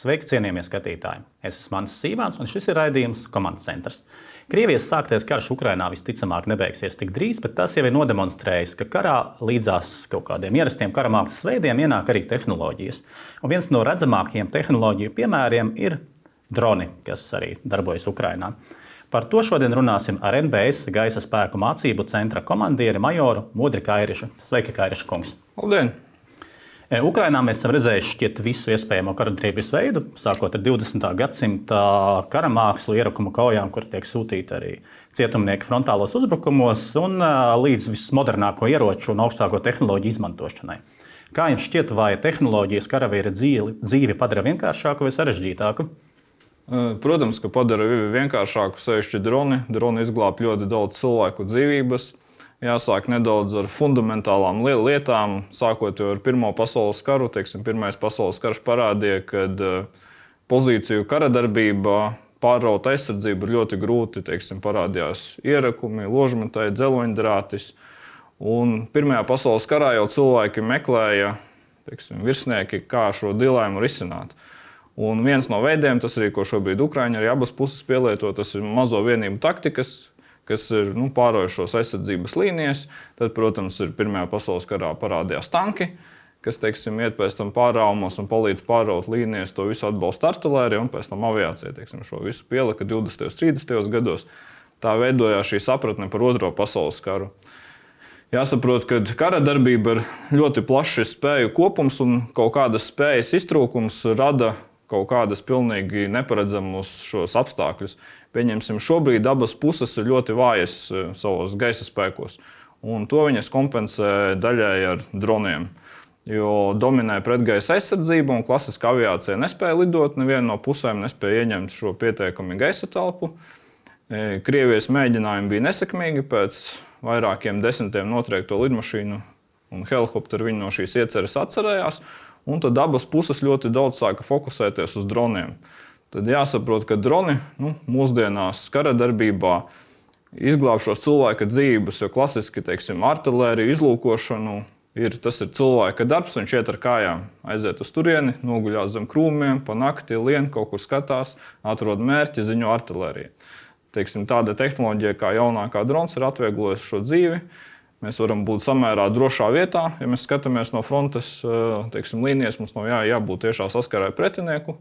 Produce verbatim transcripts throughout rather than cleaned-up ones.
Sveiki, cienījamie skatītāji! Es esmu Mans Sīvāns, un šis ir raidījums Komandas centrs. Krievijas sāktais karš Ukrainā visticamāk nebeigsies tik drīz, bet tas jau ir nodemonstrējis, ka karā līdzās kaut kādiem ierastiem karamākslas veidiem ienāk arī tehnoloģijas. Un viens no redzamākajiem tehnoloģiju piemēriem ir droni, kas arī darbojas Ukrainā. Par to šodien runāsim ar N B S gaisa spēku mācību centra komandieri majoru Modri Kairišu. Sveiki, Kairiša kungs! Labdien! Ukrainā mēs esam redzējuši šķiet visu iespējamo karadarbības veidu, sākot ar divdesmitā gadsimta karamākslu ierakumu kaujām, kur tiek sūtīti arī cietumnieki frontālos uzbrukumos, un līdz vismodernāko ieroču un augstāko tehnoloģiju izmantošanai. Kā jums šķiet, vai tehnoloģijas karavīra dzīvi, dzīvi padara vienkāršāku vai sarežģītāku? Protams, ka padara vienkāršāku, sevišķi droni. Droni izglāb ļoti daudz cilvēku dzīvības. Jāsāk nedaudz ar fundamentālām lietām, sākot ar Pirmo pasaules karu. Teiksim, Pirmais pasaules karš parādīja, ka pozīciju karadarbībā pārraut aizsardzību ir ļoti grūti. Teiksim, parādījās ierakumi, ložmetēji, dzeloņdrātis. Un Pirmajā pasaules karā jau cilvēki meklēja, teiksim, virsnieki, kā šo dilēmu risināt. Un viens no veidiem, tas arī, ko šobrīd Ukraiņi arī abas puses pielieto, tas ir mazo vienību taktikas, kas ir nu, pārojušos aizsardzības līnijas. Tad, protams, ir Pirmajā pasaules karā parādījās tanki, kas, teiksim, iet pēc tam pārraumos un palīdz pārraut līnijas. To visu atbalsta artilērija un pēc tam aviācija, teiksim, šo visu pielika divdesmitajos, trīsdesmitajos gados. Tā veidojās šī sapratne par Otro pasaules karu. Jāsaprot, ka kara darbība ir ļoti plašs spēju kopums un kaut kādas spējas iztrūkums rada kaut kādas pilnīgi neparedzamus šos apstākļus. Pieņemsim, šobrīd abas puses ir ļoti vājas savos gaisa spēkos, un to viņas kompensē daļai ar droniem. Jo dominē pretgaisa aizsardzība, un klasiska aviācija nespēja lidot, neviena no pusēm nespēja ieņemt šo pietiekami gaisa telpu. Krievijas mēģinājumi bija nesekmīgi, pēc vairākiem desmitiem notriekto lidmašīnu un helikopteru viņi no šīs ieceres atcerējās. Un tad abas puses ļoti daudz sāka fokusēties uz droniem. Tad jāsaprot, ka droni nu, mūsdienās kara darbībā izglāb šos cilvēka dzīvības, jo klasiski, teiksim, artilēriju izlūkošanu ir, tas ir cilvēka darbs, viņš iet ar kājām, aiziet uz turieni, noguļās zem krūmiem, pa nakti lien, kaut kur skatās, atrod mērķi, ziņo artilēriju. Teiksim, tāda tehnoloģija kā jaunākā drons ir atvieglojusi šo dzīvi. Mēs varam būt samērā drošā vietā, ja mēs skatāmies no frontes, teiksim, līnijas, mums nav jā, jābūt tiešā saskarē ar pretinieku.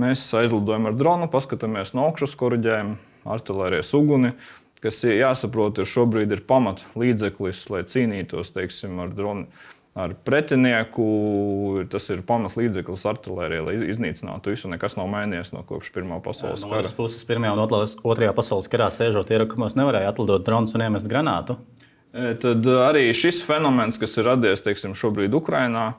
Mēs aizlidojam ar dronu, paskatāmies no augšas, koriģējam artilērijas uguni, kas jāsaprot, ir šobrīd ir pamat līdzeklis, lai cīnītos, teiksim, ar dronu, ar pretinieku. Tas ir pamat līdzeklis artilērijai, lai iznīcinātu visu, nekas nav mainījies no kopš Pirmā pasaules kara. No otras puses, Pirmajā un Otrajā pasaules karā sēžot ierakumos nevarēja atlidot drons un iemest granātu. Tad arī šis fenomens, kas ir radies, teiksim, šobrīd Ukrainā,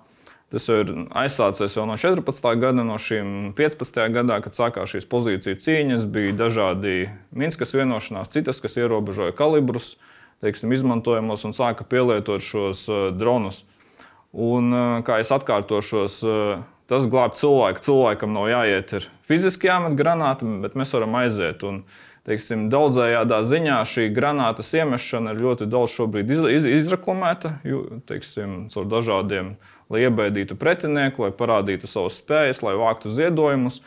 tas ir aizsācies jau no četrpadsmitā gada, no šīm piecpadsmitajā gadā, kad sākās šīs pozīciju cīņas, bija dažādi Minskas vienošanās, citas, kas ierobežoja kalibrus, teiksim, izmantojamos un sāka pielietot šos dronus. Un, kā es atkārtošos, tas glāb cilvēku. Cilvēkam nav jāiet ir fiziski jāmet granāta, bet mēs varam aiziet. Un, teiksim, daudzējādā ziņā šī granātas iemešana ir ļoti daudz šobrīd iz, izreklamēta, teiksim, caur dažādiem, lai iebaidītu pretinieku, lai parādītu savas spējas, lai vāktu ziedojumus,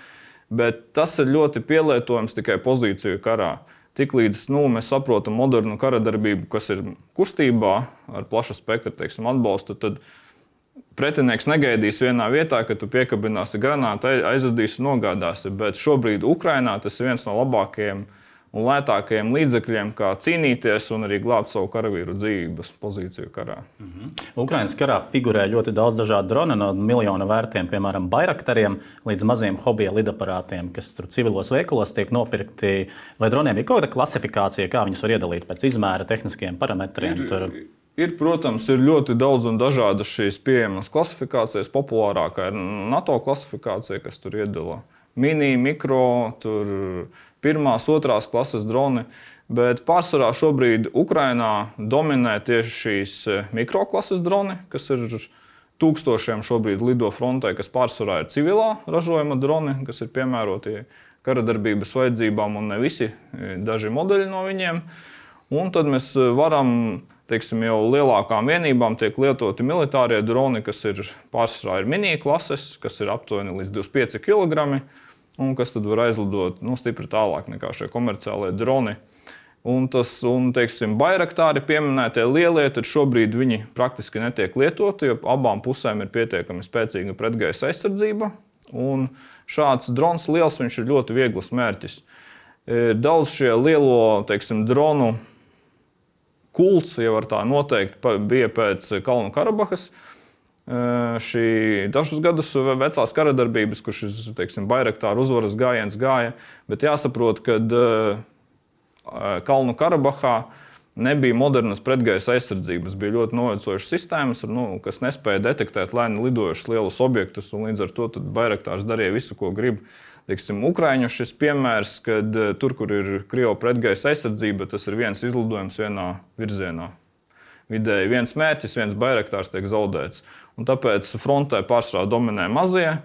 bet tas ir ļoti pielietojams tikai pozīciju karā. Tiklīdz nu, mēs saprotam modernu karadarbību, kas ir kustībā ar plaša spektra, teiksim, atbalstu, tad pretinieks negaidīs vienā vietā, ka tu piekabināsi granātu, aizvedīsi un nogādāsi, bet šobrīd Ukrainā tas ir viens no labākajiem un lētākajiem līdzekļiem, kā cīnīties un arī glābt savu karavīru dzīvības pozīciju karā. Mhm. Ukrainas karā figurē ļoti daudz dažādu dronu, no miljona vērtiem, piemēram, Bairaktariem, līdz maziem hobija lidaparātiem, kas tur civilos veikalos tiek nopirkti. Vai droniem ir kaut kāda klasifikācija, kā viņus var iedalīt pēc izmēra, tehniskiem parametriem? Ir, tur... ir, protams, ir ļoti daudz un dažādas šīs pieejamas klasifikācijas. Populārākā ir NATO klasifikācija, kas tur iedala mini, mikro, tur pirmās, otrās klases droni, bet pārsvarā šobrīd Ukrainā dominē tieši šīs mikroklases droni, kas ir tūkstošiem šobrīd lido frontē, kas pārsvarā ir civilā ražojuma droni, kas ir piemēroti karadarbības vajadzībām un ne visi, daži modeļi no viņiem. Un tad mēs varam teiksim, jau lielākām vienībām tiek lietoti militārie droni, kas ir pārsvarā ir mini klases, kas ir aptuveni līdz divdesmit pieci kilogrami, un kas tad var aizlidot nu, stipri tālāk nekā šie komerciālie droni. Un tas, un, teiksim, Bayraktāri pieminētie lielie, tad šobrīd viņi praktiski netiek lietoti, jo abām pusēm ir pietiekami spēcīga pretgaisa aizsardzība. Un šāds drons liels, viņš ir ļoti viegls mērķis. Daudz šie lielo, teiksim, dronu kults, ja var tā noteikt, bija pēc Kalnu Karabahas. Šī dažus gadus vecās karadarbības, kur šis, teiksim, Bayraktāru uzvaras gājiens gāja, bet jāsaprot, kad Kalnu Karabahā nebija modernas pretgaisa aizsardzības, bija ļoti novecojušas sistēmas, nu, kas nespēja detektēt lēni lidojušus lielus objektus, un līdz ar to Bayraktārs darīja visu, ko grib. Teiksim, Ukraiņu šis piemērs, kad tur, kur ir Krievu pretgaisa aizsardzība, tas ir viens izlidojums vienā virzienā. Vidēji viens mērķis, viens Bayraktārs tiek zaudēts. Un tāpēc frontē pārsvarā dominē mazie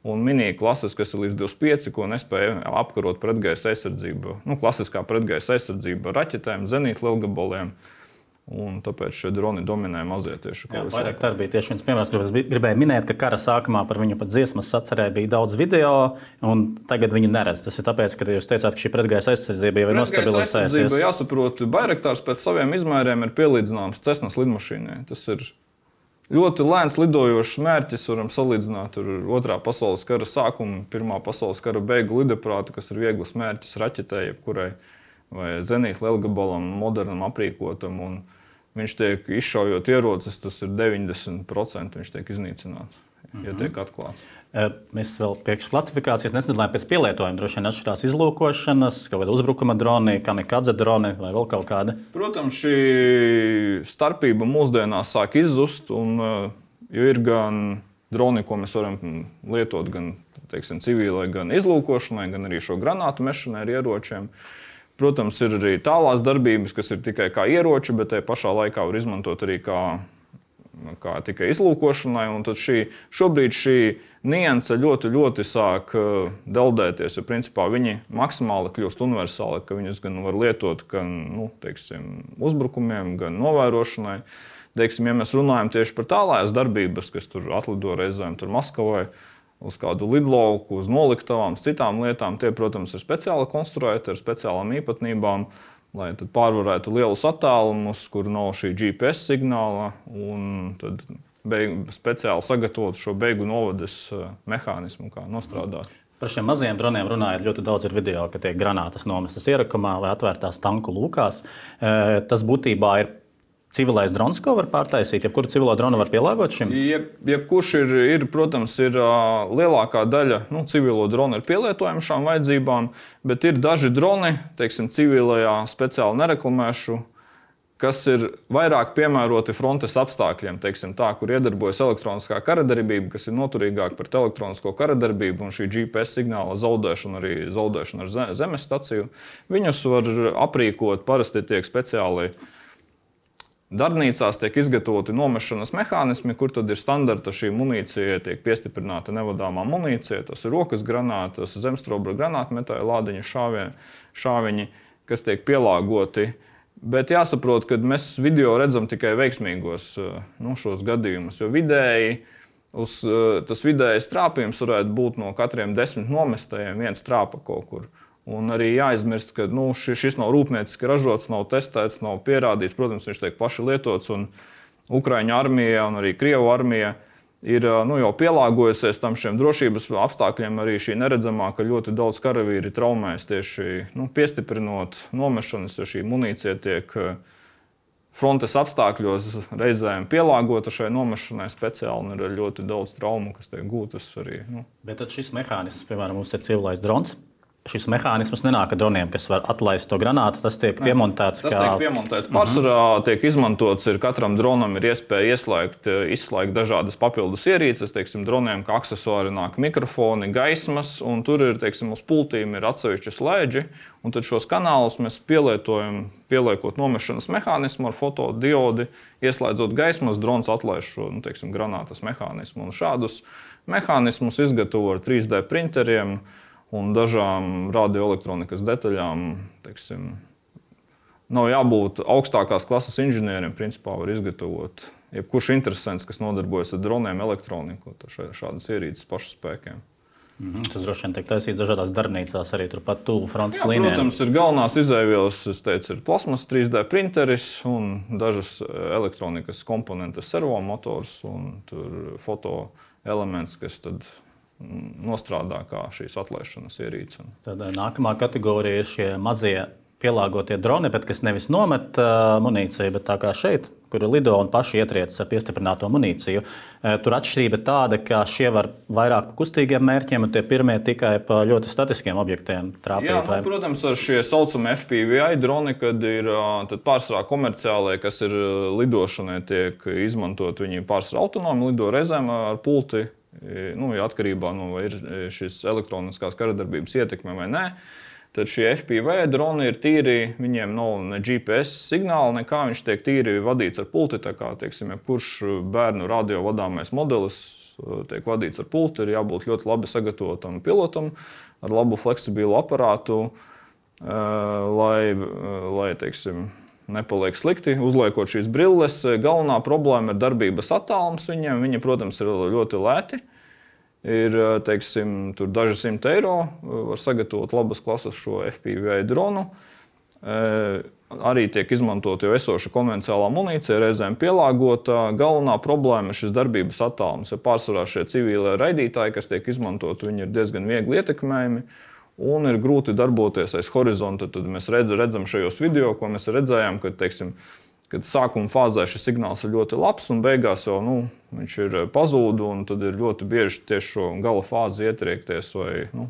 un mini klases, kas ir līdz divdesmit pieci, ko nespēja apkarot pretgaisa aizsardzību. Nu, klasiskā pretgaisa aizsardzība raķetēm, zenītu lielgabaliem. Un tāpēc šie droni dominē mazie tieši. Jā, Bayraktāri bija tieši viens piemērs, kurus gribēju minēt, ka kara sākumā par viņu pat dziesmas sacerē bija daudz video, un tagad viņu neredz. Tas ir tāpēc, ka jūs teicāt, ka šī pretgaisa aizsardzība jau ir nostabilizējusies. Jāsaprot, Bayraktārs pēc saviem izmēriem ir pielīdzināms Cessnas lidmašīnai. Tas ir ļoti lēns lidojošs mērķis, varam salīdzināt ar otrā pasaules kara sākumu, pirmā pasaules kara beigu lidaprātu, kas ir viegls mērķis raķetei, jebkurai vai zenītu lielgabalam, modernam aprīkotam, un viņš tiek izšaujot ierocis, tas ir deviņdesmit procenti, viņš tiek iznīcināts, ja tiek atklāts. Mēs vēl priekš klasifikācijas nesadalām pēc pielietojuma. Droši vien atšķirās izlūkošanas, kaut kāda uzbrukuma droni, kamikadze droni vai vēl kaut kāda. Protams, šī starpība mūsdienās sāk izzust, un, jo ir gan droni, ko mēs varam lietot gan, teiksim, civilai, gan izlūkošanai, gan arī šo granātu mešanai ar ieročiem. Protams, ir arī tālās darbības, kas ir tikai kā ieroči, bet te pašā laikā var izmantot arī kā, kā tikai izlūkošanai. Un tad šī, šobrīd šī nianse ļoti, ļoti sāk deldēties, jo principā viņi maksimāli kļūst universāli, ka viņus gan var lietot gan, nu, teiksim, uzbrukumiem, gan novērošanai. Teiksim, ja mēs runājam tieši par tālājas darbības, kas tur atlido reizēm tur Maskavai, uz kādu lidlauku, uz noliktavām, uz citām lietām. Tie, protams, ir speciāli konstruēti ar speciālām īpatnībām, lai tad pārvarētu lielus attālumus, kur nav šī G P S signāla, un tad beigu, speciāli sagatavot šo beigu novades mehānismu, kā nostrādāt. Par šiem mazajiem droniem runājot, ļoti daudz ir video, ka tiek granātas nomestas ierakumā vai atvērtās tanku lūkās. Tas būtībā ir civilais drons, ko var pārtaisīt? Jebkuru civilo dronu var pielāgot šim? Jeb, jebkurš ir, ir, protams, ir lielākā daļa nu, civilo dronu ir pielietojama šām vajadzībām, bet ir daži droni, teiksim, civilajā speciāli nereklamēšu, kas ir vairāk piemēroti frontes apstākļiem, teiksim tā, kur iedarbojas elektroniskā karadarbība, kas ir noturīgāk pret elektronisko karadarbību un šī G P S signāla zaudēšana, arī zaudēšana ar zemes staciju. Viņus var aprīkot, parasti tiek speciāli darbnīcās tiek izgatavoti nomešanas mehānismi, kur tad ir standarta šī munīcija, tiek piestiprināta nevadāmā munīcija, tas ir rokas granātas, zemstrobra granātmetāja lādiņa šāviņi, šāviņi, kas tiek pielāgoti. Bet jāsaprot, ka mēs video redzam tikai veiksmīgos nu, šos gadījumus, jo vidēji, uz, tas vidējais trāpījums varētu būt no katriem desmit nomestajiem viens trāpa kaut kur. Un arī jāizmirst, ka nu, šis nav rūpnieciski ražots, nav testēts, nav pierādīts. Protams, viņš tiek plaši lietots, un Ukraiņu armija un arī Krievu armija ir nu, jau pielāgojusies tam šiem drošības apstākļiem. Arī šī neredzamā, ka ļoti daudz karavīri traumēs tieši nu, piestiprinot nomešanas, jo šī munīcija tiek frontes apstākļos reizēm pielāgota šai nomešanai speciāli, un ir ļoti daudz traumu, kas tiek gūtas arī. Nu. Bet tad šis mehānisms, piemēram, mums ir civilais drons. Šis mehānisms nenāk ar droniem, kas var atlaist to granātu. Tas tiek piemontēts. Tas kā... tiek piemontēts. Pārsvarā uh-huh. tiek izmantots, ir katram dronam ir iespēja ieslēgt, izslēgt dažādas papildus ierīces. Teiksim, droniem kā aksesuāri nāk mikrofoni, gaismas, un tur ir, teiksim, uz pultīm ir atsevišķi slēdži. Un tad šos kanālus mēs pielietojam, pieliekot nomešanas mehānismu ar fotodiodi, ieslēdzot gaismas, drons atlaiž šo, nu, teiksim, granātas mehānismu. Un šādus mehānismus izgatavo ar trīs D printeriem un dažām radioelektronikas detaļām, teiksim, nav jābūt augstākās klases inženieriem, principā var izgatavot jebkurš interesants, kas nodarbojas ar droniem, elektroniku, šādas ierīces pašu spēkiem. Mm-hmm. Tas droši vien tiek taisīts dažādās darbnīcās, arī turpat tuvu frontes Jā, līnijām. Protams, ir galvenās izēvielas, es teicu, ir plasmas trīs D printeris un dažas elektronikas komponentes, servomotors un tur foto elements, kas tad nostrādā kā šīs atlaišanas ierīces. Tad nākamā kategorija ir šie mazie pielāgotie droni, bet kas nevis nomet uh, munīciju, bet tā kā šeit, kur lido un paši ietriec ar piestiprināto munīciju. Uh, tur atšķirība tāda, ka šie var vairāk pa kustīgiem mērķiem, un tie pirmie tikai pa ļoti statiskiem objektiem trāpīt. Jā, nu, protams, ar šie saucamie F P V I droni, kad ir pārsvarā komerciālie, kas ir lidošanai, tiek izmantot, viņi pārsvarā autonomi lido reizēm ar pulti, nu, ja atkarībā no vai ir šis elektroniskās karadarbības ietekme vai nē. Tad šie F P V droni ir tīri, viņiem nav ne G P S signāla, nekā viņš tiek tīri vadīts ar pulti. Tā kā, teiksim, ja kurš bērnu radio vadāmais modelis tiek vadīts ar pulti, ir jābūt ļoti labi sagatavotam pilotam, ar labu fleksibilu aparātu, lai, lai teiksim, nepaliek slikti, uzliekot šīs brilles. Galvenā problēma ir darbības attālums viņiem. Viņi, protams, ir ļoti lēti. Ir, teiksim, tur daži simti eiro, var sagatavot labas klases šo F P V I dronu. E, arī tiek izmantot jau esoša konvencionālā munīcija, reizēm pielāgota. Galvenā problēma ir šis darbības attālums. Ja pārsvarā šie civilie raidītāji, kas tiek izmantot, viņi ir diezgan viegli ietekmējami un ir grūti darboties aiz horizonta. Tad mēs redz, redzam šajos video, ko mēs redzējām, kad, teiksim, kad sākuma fāzē šis signāls ir ļoti labs un beigās jau nu, viņš ir pazūd, un tad ir ļoti bieži tieši šo gala fāzi ietriekties vai nu,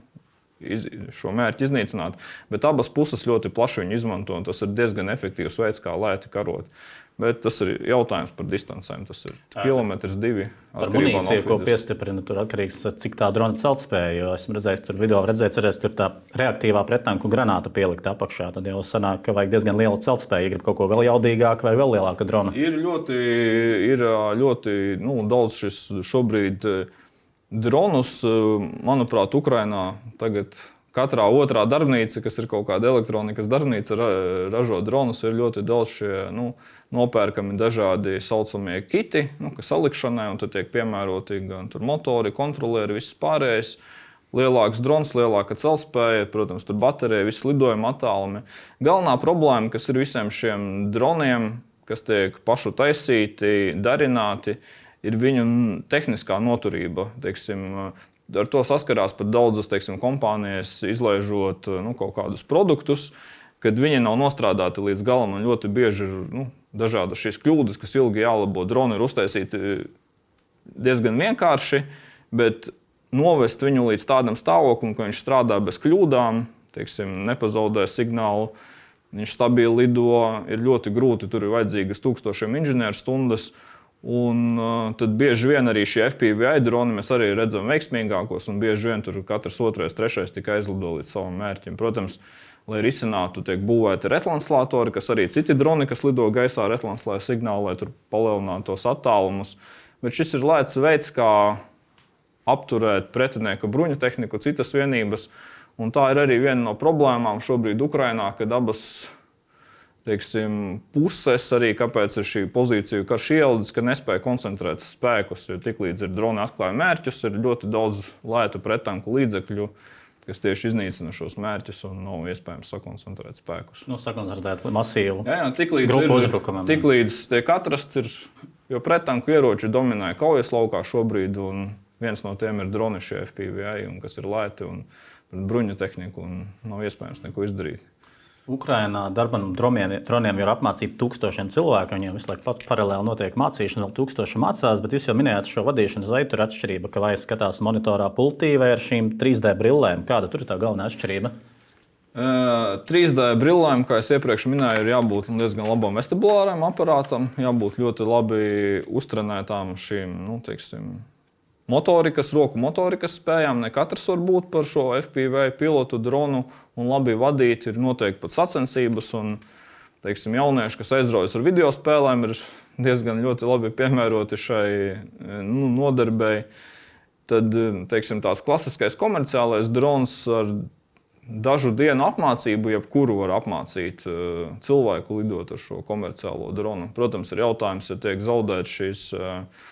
iz, šo mērķi iznīcināt. Bet abas puses ļoti plaši viņu izmanto, un tas ir diezgan efektīvs veids, kā lēti karot. Bet tas ir jautājums par distancēm. Tas ir kilometrs divi. Par munīciju, ko piestiprina, tur atkarīgs, cik tā drona celtspēja. Jo esmu redzējis, tur video redzējis, cerēs, tur tā reaktīvā prettanku granāta pielikt apakšā. Tad jau sanāk, ka vajag diezgan lielu celtspēju. Ja grib kaut ko vēl jaudīgāku vai vēl lielāku dronu. Ir ļoti, ir ļoti nu, daudz šis šobrīd dronus. Manuprāt, Ukrainā tagad katrā otrā darbnīca, kas ir kaut kāda elektronikas darbnīca, ražo dronus, ir ļoti daudz šie nu, nopērkami dažādi saucamie kiti, nu, kas salikšanai, un tad tiek piemēroti gan tur motori, kontrolieri, viss pārējais. Lielāks drons, lielāka celtspēja, protams, tur baterija, viss lidojuma attālumi. Galvenā problēma, kas ir visiem šiem droniem, kas tiek pašu taisīti, darināti, ir viņu tehniskā noturība, teiksim. Ar to saskarās pat daudzas, teiksim, kompānijas, izlaižot nu, kaut kādus produktus, kad viņi nav nostrādāti līdz galam, un ļoti bieži ir nu, dažādas šīs kļūdas, kas ilgi jālabo. Droni ir uztaisīti diezgan vienkārši, bet novest viņu līdz tādam stāvoklim, ka viņš strādā bez kļūdām, teiksim, nepazaudē signālu, viņš stabili lido, ir ļoti grūti, tur ir vajadzīgas tūkstošiem inženieru stundas. Un uh, tad bieži vien arī šie F P V I droni mēs arī redzam veiksmīgākos, un bieži vien tur katrs otrais, trešais tikai aizlido līdz savam mērķim. Protams, lai risinātu, tiek būvēti retranslātori, kas arī citi droni, kas lido gaisā retranslē signālu, lai tur palielinātu tos attālumus. Bet šis ir lēts veids, kā apturēt pretinieka bruņu tehniku, citas vienības. Un tā ir arī viena no problēmām šobrīd Ukrainā, kad abas teiksim, puses arī, kāpēc ir šī pozīcija karš ieldis, ka nespēja koncentrēt spēkus, jo tiklīdz ir droni atklāja mērķus, ir ļoti daudz lētu prettanku līdzekļu, kas tieši iznīcina šos mērķus un nav iespējams sakoncentrēt spēkus. Nu, sakoncentrēt masīvu jā, jā, tiklīdz grupu ir, uzbrukumam. Tiklīdz tiek atrast, ir, jo prettanku ieroči dominē kaujas laukā šobrīd, un viens no tiem ir droni šie F P V I, un kas ir lēti un bruņu tehniku, un nav iespējams neko izdarīt. Ukrainā darbam droniem, droniem ir apmācīti tūkstošiem cilvēku. Viņiem visu laiku paralēli notiek mācīšana, vēl tūkstoši mācās, bet jūs jau minējāt šo vadīšanas veidu, tur atšķirība, ka vai skatās monitorā pultī vai ar šīm trīs D brillēm. Kāda tur ir tā galvenā atšķirība? Uh, trīs D brillēm, kā es iepriekš minēju, ir jābūt diezgan labam vestibulāram aparātam, jābūt ļoti labi uztrenētām šīm, nu, teiksim, motorikas, roku motorikas spējām. Ne katrs var būt par šo F P V I pilotu dronu un labi vadīt. Ir noteikti pat sacensības un, teiksim, jaunieši, kas aizraujas ar video spēlēm, ir diezgan ļoti labi piemēroti šai nu, nodarbei. Tad, teiksim, tās klasiskais komerciālais drons ar dažu dienu apmācību, jebkuru var apmācīt uh, cilvēku lidot ar šo komerciālo dronu. Protams, ir jautājums, ja tiek zaudēts šīs uh,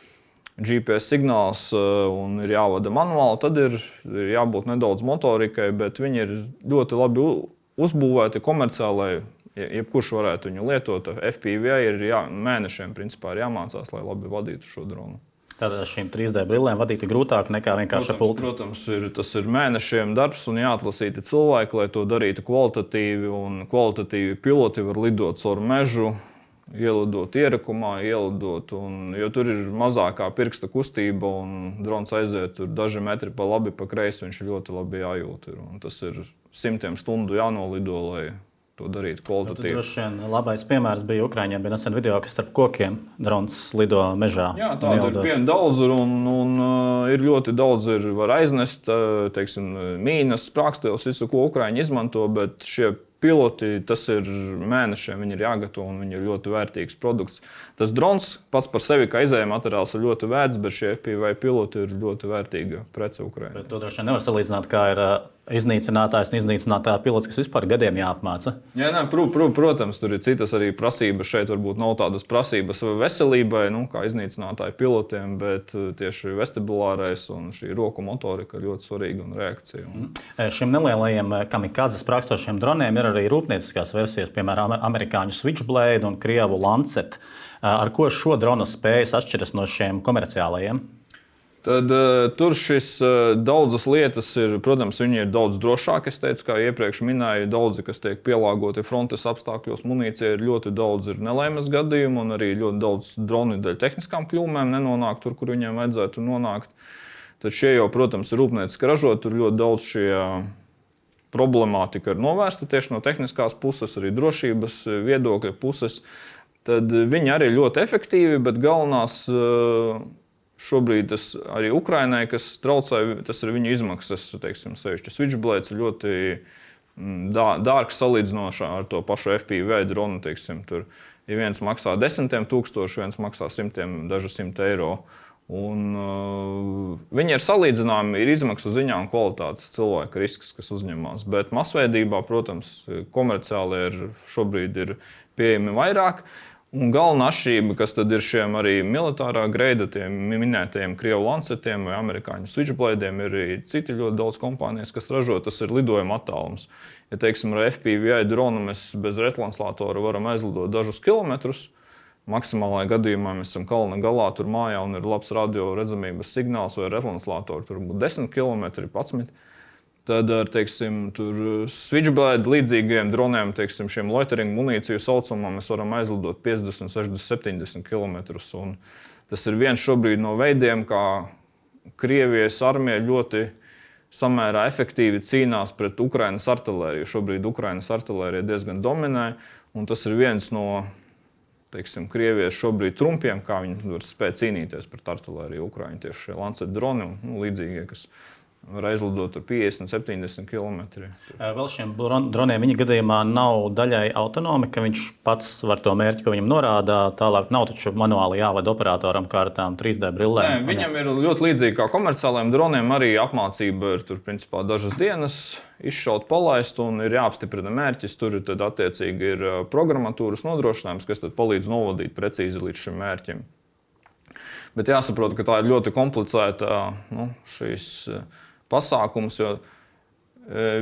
G P S signāls uh, un ir jāvada manuāli, tad ir, ir jābūt nedaudz motorikai, bet viņi ir ļoti labi uzbūvēti komerciālai. Jebkurš varētu viņu lietot. F P V ir jā, mēnešiem principā ir jāmācās, lai labi vadītu šo dronu. Tātad šīm trīs D brillēm vadīt ir grūtāk nekā vienkārši ar pultu. Protams, ir, tas ir mēnešiem darbs un jāatlasīti cilvēki, lai to darītu kvalitatīvi. Un kvalitatīvi piloti var lidot caur mežu, ielidot ierakumā, ielidot. Un, jo tur ir mazākā pirksta kustība un drons aiziet tur daži metri pa labi, pa kreisi, viņš ļoti labi jājūt. Ir. Un tas ir simtiem stundu jānolido, lai to darīt kvalitatīvi. Droši vien labais piemērs bija Ukraiņiem. Bija nesen video, kas starp kokiem drons lido mežā. Jā, tāda ir viena daudz, un, un uh, ir ļoti daudz, ir var aiznest, uh, teiksim, mīnas, sprākstēlis, visu, ko Ukraiņi izmanto, bet šie piloti, tas ir mēnešiem, viņi ir jāgatavo, un viņi ir ļoti vērtīgs produkts. Tas drons pats par sevi, kā izējuma materiāls, ir ļoti vērts, bet šie F P V piloti ir ļoti vērtīga prece Ukraiņai. Bet to droši vien nevar salīdzināt, kā ir uh, iznīcinātājs un iznīcinātāja pilots, kas vispār gadiem jāapmāca. Jā, nē, pr pr protams, tur ir citas arī prasības. Šeit varbūt nav tādas prasības veselībai, nu, kā iznīcinātāju pilotiem, bet tieši vestibulārais un šī roku motorika ir ļoti svarīga un reakcija. Un... Mm. Šiem nelielajiem kamikādzes sprākstošiem droniem ir arī rūpnieciskās versijas, piemēram, amerikāņu Switchblade un krievu Lancet. Ar ko šo dronu spējas atšķiras no šiem komerciālajiem? Tad uh, tur šis uh, daudzas lietas ir, protams, viņi ir daudz drošāki. Es teicu, kā iepriekš minēju, daudzi, kas tiek pielāgoti frontes apstākļos, munīcija ir ļoti daudz ir nelaimes gadījumu un arī ļoti daudz droni dēļ tehniskām kļūmēm nenonāk tur, kur viņiem vajadzētu nonākt. Tad šie jau, protams, ir rūpnieciski ražot, tur ļoti daudz šie problemātika ir novērsta tieši no tehniskās puses, arī drošības viedokļa puses. Tad viņi arī ļoti efektīvi, bet galvenās uh, šobrīd tas arī Ukrainai, kas traucē, tas ir viņu izmaksas, teiksim, sevišķi Switchblades ir ļoti dā, dārgs salīdzinoši ar to pašu F P V dronu, teiksim, tur ja viens maksā desmitiem tūkstoši, viens maksā simtiem, dažu simt eiro. Un, uh, viņi ir salīdzināmi, ir izmaksu ziņā un kvalitātes cilvēka risks, kas uzņemās. Bet masveidībā, protams, komerciāli ir šobrīd ir pieejami vairāk. Un galvenā atšķirība, kas tad ir šiem arī militārā greida, tiem minētajiem krievu Lancetiem vai amerikāņu Switchbladiem, ir arī citi ļoti daudz kompānijas, kas ražo, tas ir lidojuma attālums. Ja, teiksim, ar F P V dronu mēs bez retranslātora varam aizlidot dažus kilometrus, maksimālajā gadījumā mēs esam kalna galā, tur mājā un ir labs radio redzamības signāls vai retranslātori, tur būtu desmit kilometri, padsmit. Tad ar, teiksim, tur Switchblade līdzīgiem droniem, teiksim, šiem loitering munīciju saucamā, mēs varam aizlidot piecdesmit, sešdesmit, septiņdesmit kilometrus. Un tas ir viens šobrīd no veidiem, kā Krievijas armija ļoti samērā efektīvi cīnās pret Ukrainas artilēriju. Šobrīd Ukrainas artilērija diezgan dominē, un tas ir viens no, teiksim, Krievijas šobrīd trumpiem, kā viņi var spēt cīnīties pret artilēriju Ukraiņu. Tieši šie Lancet droni un nu, līdzīgie, kas var aizlidot piecdesmit, septiņdesmit kilometri. Vēl šiem droniem viņa gadījumā nav daļai autonomi, ka viņš pats var to mērķi, ko viņam norāda. Tālāk nav taču manuāli jāvada operatoram kā ar tām trīs D brillēm. Nē, viņam ir ļoti līdzīgi kā komerciālajiem droniem. Arī apmācība ir tur, principā, dažas dienas izšaut, palaist un ir jāapstiprina mērķis. Tur ir tad attiecīgi ir programmatūras nodrošinājums, kas tad palīdz novadīt precīzi līdz šim mērķim. Bet jāsaprot, ka tā ir ļoti komplicēta nu, šīs pasākums, jo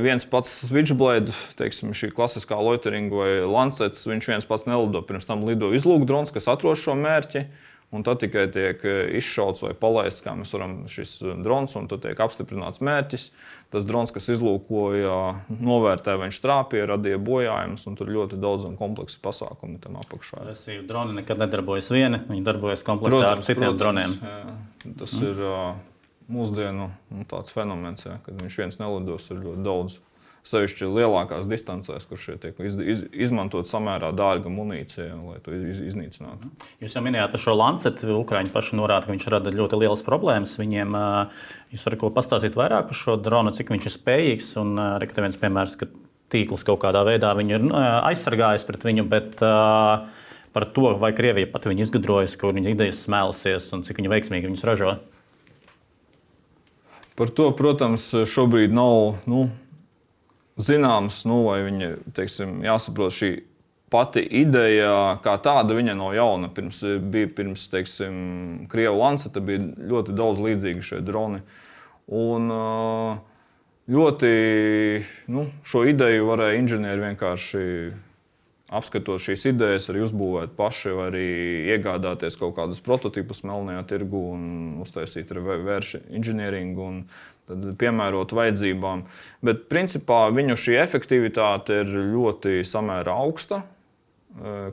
viens pats Switchblade, teiksim, šī klasiskā loiteringa vai Lancets, viņš viens pats nelido. Pirms tam lido izlūkdrons, kas atrod šo mērķi, un tad tikai tiek izšauts vai palaists, kā mēs varam šis drons, un tad tiek apstiprināts mērķis. Tas drons, kas izlūkoja, novērtē, viņš trāpīja, radīja bojājumus, un tur ļoti daudz un kompleksi pasākumi tam apakšā. Resīvi droni nekad nedarbojas vieni, viņi darbojas komplektā ar citiem protams, droniem. Jā, tas mm. ir mūsdienu nu, tāds fenomens, jā, kad viņš viens nelidos ir ļoti daudz. Sevišķi lielākās distancēs, kur šie tiek iz, iz, izmantot samērā dārga munīcija, lai to iz, iznīcinātu. Jūs jau minējāt par šo Lancet. Ukraiņi paši norāda, ka viņš rada ļoti lielas problēmas viņiem. Jūs varat ko pastāstīt vairāk par šo dronu, cik viņš ir spējīgs? Un arī viens piemērs, ka tīkls kaut kādā veidā viņu ir aizsargājis pret viņu, bet par to, vai Krievija pat viņu izgudrojas, kur viņa idejas smēlusies un cik viņa veiksmīgi viņus ražo? Par to, protams, šobrīd nav... Nu, zināms, nu, vai viņa, teiksim, jāsaprot šī pati ideja, kā tāda, viņa nav jauna. Pirms bija pirms, teiksim, Krievu Lanceta bija ļoti daudz līdzīgi šie droni. Un ļoti, nu, šo ideju varēja inženieri vienkārši apskatot šīs idejas, arī uzbūvēt paši, vai arī iegādāties kaut kādus prototipus melnajā tirgu un uztaisīt reverse inženieringu un tad piemērot vajadzībām. Bet principā viņu šī efektivitāte ir ļoti samērā augsta,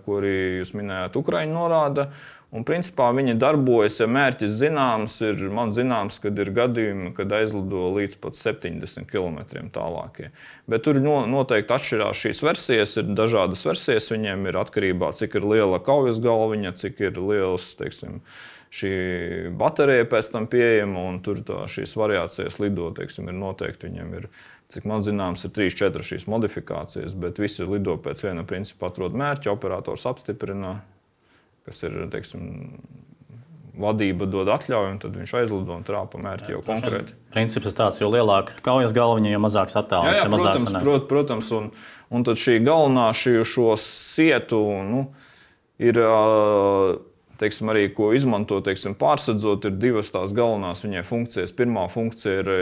ko arī jūs minējāt, Ukraiņa norāda. Un principā viņi darbojas, ja mērķis zināms, ir man zināms, kad ir gadījumi, kad aizlido līdz pat septiņdesmit kilometriem tālākie. Bet tur noteikti atšķirās šīs versijas, ir dažādas versijas, viņiem ir atkarībā, cik ir liela kaujas galviņa, cik ir liels, teiksim, šī baterija pēc tam pieejama, un tur tā, šīs variācijas lido, teiksim, ir noteikti, viņiem ir, cik man zināms, ir trīs četras šīs modifikācijas, bet visi lido pēc viena principa atrod mērķi, operators apstiprina, kas ir, teiksim, vadība dod atļauju, un tad viņš aizlido un trāpa mērķi jau konkrēti. Princips ir tāds, jo lielāka kaujas galviņa, jo mazāks attālums. Jā, jā, protams, prot, protams, un, un tad šī galvenā šī, šo sietu, nu, ir, teiksim, arī, ko izmanto, teiksim, pārsadzot, ir divas tās galvenās viņai funkcijas. Pirmā funkcija ir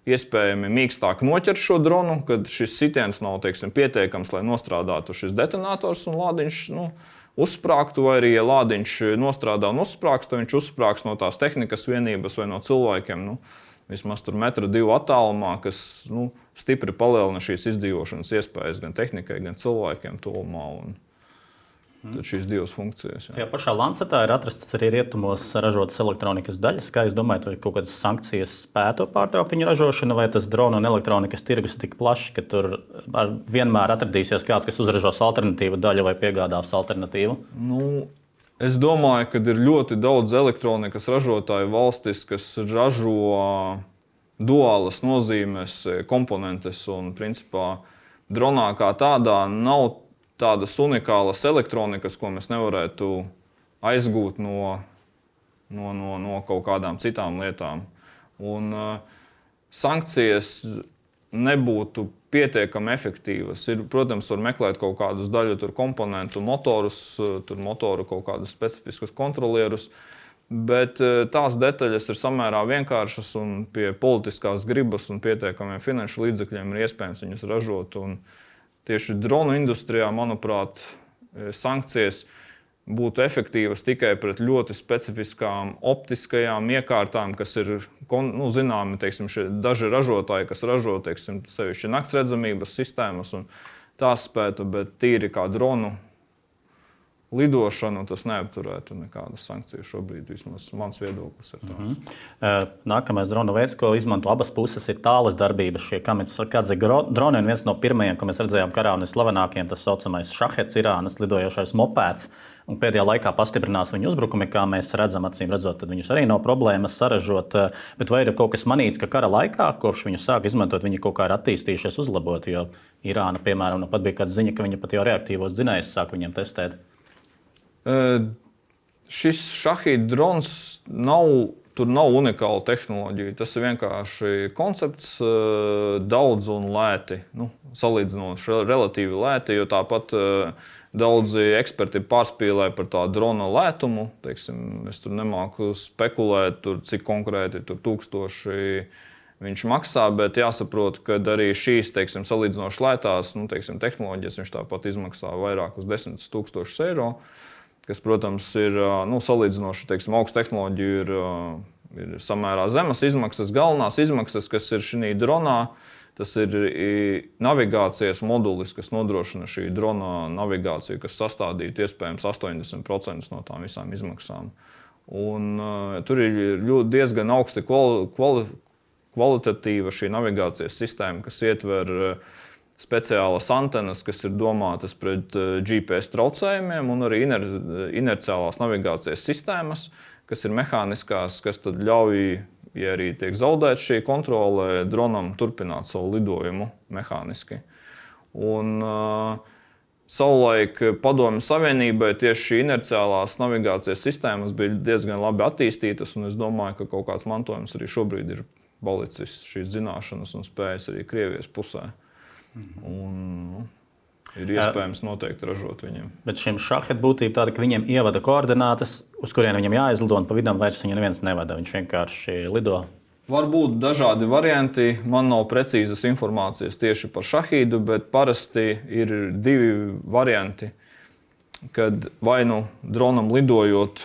iespējami mīkstāk noķert šo dronu, kad šis sitiens nav, teiksim, pietiekams, lai nostrādātu šis detonators un lādiņš, nu, uzsprāgtu, vai arī, ja lādiņš nostrādā un uzsprāgs, tad viņš uzsprāgs no tās tehnikas vienības vai no cilvēkiem, nu, vismaz tur metra divu attālumā, kas, nu, stipri palielina šīs izdzīvošanas iespējas gan tehnikai, gan cilvēkiem tuvumā. Un tad šīs divas funkcijas. Jā. Tajā pašā Lancetā ir atrastas arī rietumos ražotas elektronikas daļas. Kā jūs domājat, vai kaut kādas sankcijas spētu pārtraukt viņu ražošanu, vai tas drona un elektronikas tirgus ir tik plašs, ka tur vienmēr atradīsies kāds, kas uzražos alternatīvu daļu vai piegādās alternatīvu? Nu, es domāju, ka ir ļoti daudz elektronikas ražotāju valstis, kas ražo duālas nozīmes komponentes, un principā dronā kā tādā nav tādas unikālas elektronikas, ko mēs nevarētu aizgūt no, no, no, no kaut kādām citām lietām. Un uh, sankcijas nebūtu pietiekami efektīvas. Ir, protams, var meklēt kaut kādus daļu tur komponentu, motorus, tur motoru kaut kādus specifiskus kontrolierus, bet uh, tās detaļas ir samērā vienkāršas un pie politiskās gribas un pietiekamiem finanšu līdzekļiem ir iespējams viņus ražot. Un, tieši dronu industrijā, manuprāt, sankcijas būtu efektīvas tikai pret ļoti specifiskām optiskajām iekārtām, kas ir, nu, zināmi, teiksim, šie daži ražotāji, kas ražo, teiksim, sevišķi naktsredzamības sistēmas un tās spētu, bet tīri kā dronu lidošanu tas neapturētu nekādas sankcijas šobrīd, vismaz mans viedoklis ir tāds. Mm-hmm. Nākamais drona veids, ko izmanto abas puses, ir tālas darbības. Šie kamikadze droni, un viens no pirmajiem, ko mēs redzējām karā un slavenākiem, tas saucamais Šahets, Irānas lidojošais mopēds. Un pēdējā laikā pastiprinās viņu uzbrukumi, kā mēs redzam, acīm redzot, tad viņus arī nav problēmas saražot. Bet vai ir kaut kas manīts, ka kara laikā, kopš viņu sāk izmantot, viņi kaut kā ir attīstījušies, uzlabot, jo Irāna, piemēram, nu pat bija kāda ziņa, ka viņi pat jau reaktīvos dzinējus sāk viņiem testēt. Uh, šis Šahid drons nav, tur nav unikāla tehnoloģija. Tas ir vienkārši koncepts, uh, daudz un lēti, nu, salīdzinot relatīvi lēti, jo tāpat uh, daudzi eksperti pārspīlē par tā drona lētumu. Teiksim, es tur nemāku spekulēt, tur, cik konkrēti tur tūkstoši viņš maksā, bet jāsaprot, ka arī šīs, teiksim, salīdzinoši lētās, nu, teiksim, tehnoloģijas viņš tāpat izmaksā vairāk uz desmit tūkstošus eiro. Kas, protams, ir, nu, salīdzinoši, teiksim, augstu tehnoloģiju, ir, ir samērā zemas izmaksas. Galvenās izmaksas, kas ir šī dronā, tas ir navigācijas modulis, kas nodrošina šī drona navigāciju, kas sastādītu iespējams astoņdesmit procentus no tām visām izmaksām. Un, uh, tur ir ļoti diezgan augsti kvali, kvali, kvalitatīva šī navigācijas sistēma, kas ietver uh, speciālas antenas, kas ir domātas pret G P S traucējumiem, un arī iner, inerciālās navigācijas sistēmas, kas ir mehāniskās, kas tad ļauj, ja arī tiek zaudēta šī kontrole, dronam turpināt savu lidojumu mehāniski. Un uh, savulaik Padomju Savienībai tieši šī inerciālās navigācijas sistēmas bija diezgan labi attīstītas, un es domāju, ka kaut kāds mantojums arī šobrīd ir palicis šīs zināšanas un spējas arī Krievijas pusē. Mm-hmm. Un, ir iespējams noteikti ražot viņiem. Bet šim šahet būtība tāda, ka viņiem ievada koordinātas, uz kurien viņam jāizlido, un pa vidam vairs viņu neviens nevada. Viņš vienkārši lido. Var būt dažādi varianti. Man nav precīzas informācijas tieši par šahīdu, bet parasti ir divi varianti, kad vai nu dronam lidojot,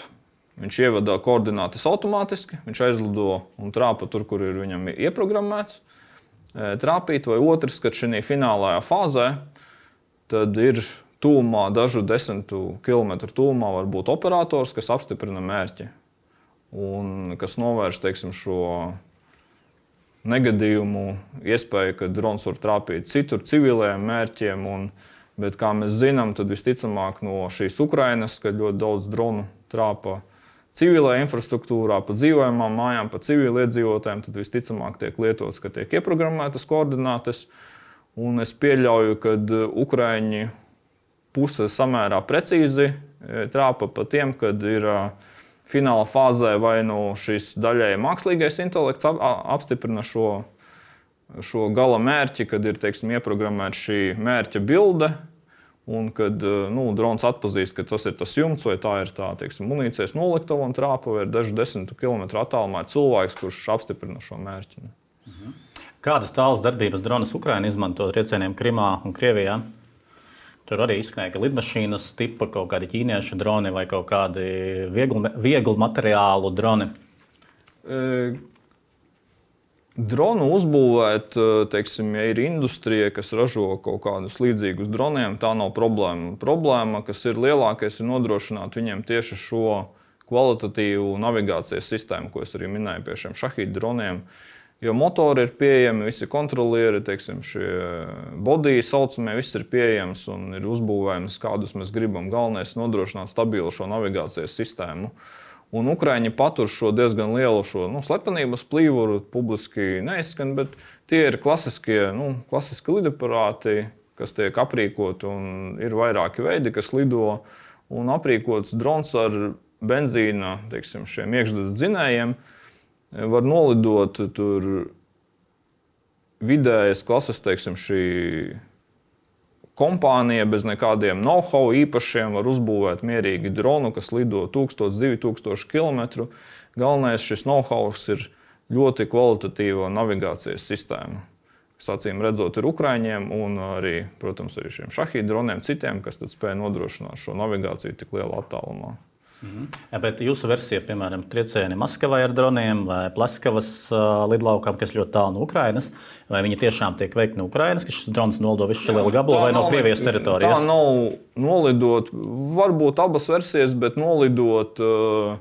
viņš ievada koordinātas automātiski, viņš aizlido un trāpa tur, kur ir viņam ieprogrammēts trāpīt, vai otrs, kad šī finālajā fāzē, tad ir tūmā, dažu desmitu kilometru tūmā var būt operators, kas apstiprina mērķi un kas novērš, teiksim, šo negadījumu, iespēju, ka drons var trāpīt citur civiliem mērķiem. Un, bet, kā mēs zinām, tad visticamāk no šīs Ukrainas, kad ļoti daudz dronu trāpa civilajā infrastruktūrā, pa dzīvojamām mājām, pa civiliedzīvotājiem, tad visticamāk tiek lietots, ka tiek ieprogrammētas koordinātes. Un es pieļauju, ka Ukraiņi puse samērā precīzi trāpa pa tiem, kad ir fināla fāzē vai nu šis daļēji mākslīgais intelekts apstiprina šo, šo gala mērķi, kad ir, teiksim, ieprogrammēta šī mērķa bilde, un kad nu, drons atpazīst, ka tas ir tas jumts vai tā ir tā, teiksim, munīcijas noliktava un trāpa vai ir dažu desmitu kilometru attālumā ir cilvēks, kurš apstiprina šo mērķi. Mhm. Kādas tālas darbības dronus Ukraina izmanto triecieniem Krimā un Krievijā? Tur arī izskanēja, ka lidmašīnas tipa kaut kādi ķīniešu droni vai kaut kādi viegli, viegli materiālu droni. E, dronu uzbūvēt, teiksim, ja ir industrija, kas ražo kaut kādus līdzīgus droniem, tā nav problēma. Problēma, kas ir lielākais, ir nodrošināt viņiem tieši šo kvalitatīvu navigācijas sistēmu, ko es arī minēju pie šiem šahīdu droniem. Jo motori ir pieejami, visi kontrolieri, teiksim, šie bodiji saucamie, viss ir pieejams un ir uzbūvējams, kādus mēs gribam. Galvenais ir nodrošināt stabilu šo navigācijas sistēmu. Un Ukraiņi patur šo diezgan lielu šo, nu, slepenības plīvuru, publiski neizskan, bet tie ir klasiskie, nu, klasiski lidaparāti, kas tiek aprīkoti, un ir vairāki veidi, kas lido, un aprīkots drons ar benzīna, teiksim, šiem iekšzemes dzinējiem. Var nolidot tur vidējas klases, teiksim, šī kompānija bez nekādiem know-how īpašiem var uzbūvēt mierīgi dronu, kas lido tūkstoš, divi tūkstoši kilometru. Galvenais šis know-how ir ļoti kvalitatīva navigācijas sistēma, kas acīm redzot ir Ukraiņiem un arī, protams, arī šiem šahīdu droniem citiem, kas tad spēja nodrošināt šo navigāciju tik lielā attālumā. Mhm. Ja, bet jūsu versija, piemēram, triecieni Maskavai ar droniem vai Pleskavas uh, lidlaukam, kas ļoti tālu no Ukrainas, vai viņi tiešām tiek veikti no Ukrainas, ka šis drons nolido visu šo lielu gabalu vai no Krievijas teritorijas? Tā nav nolidot, varbūt abas versijas, bet nolidot uh,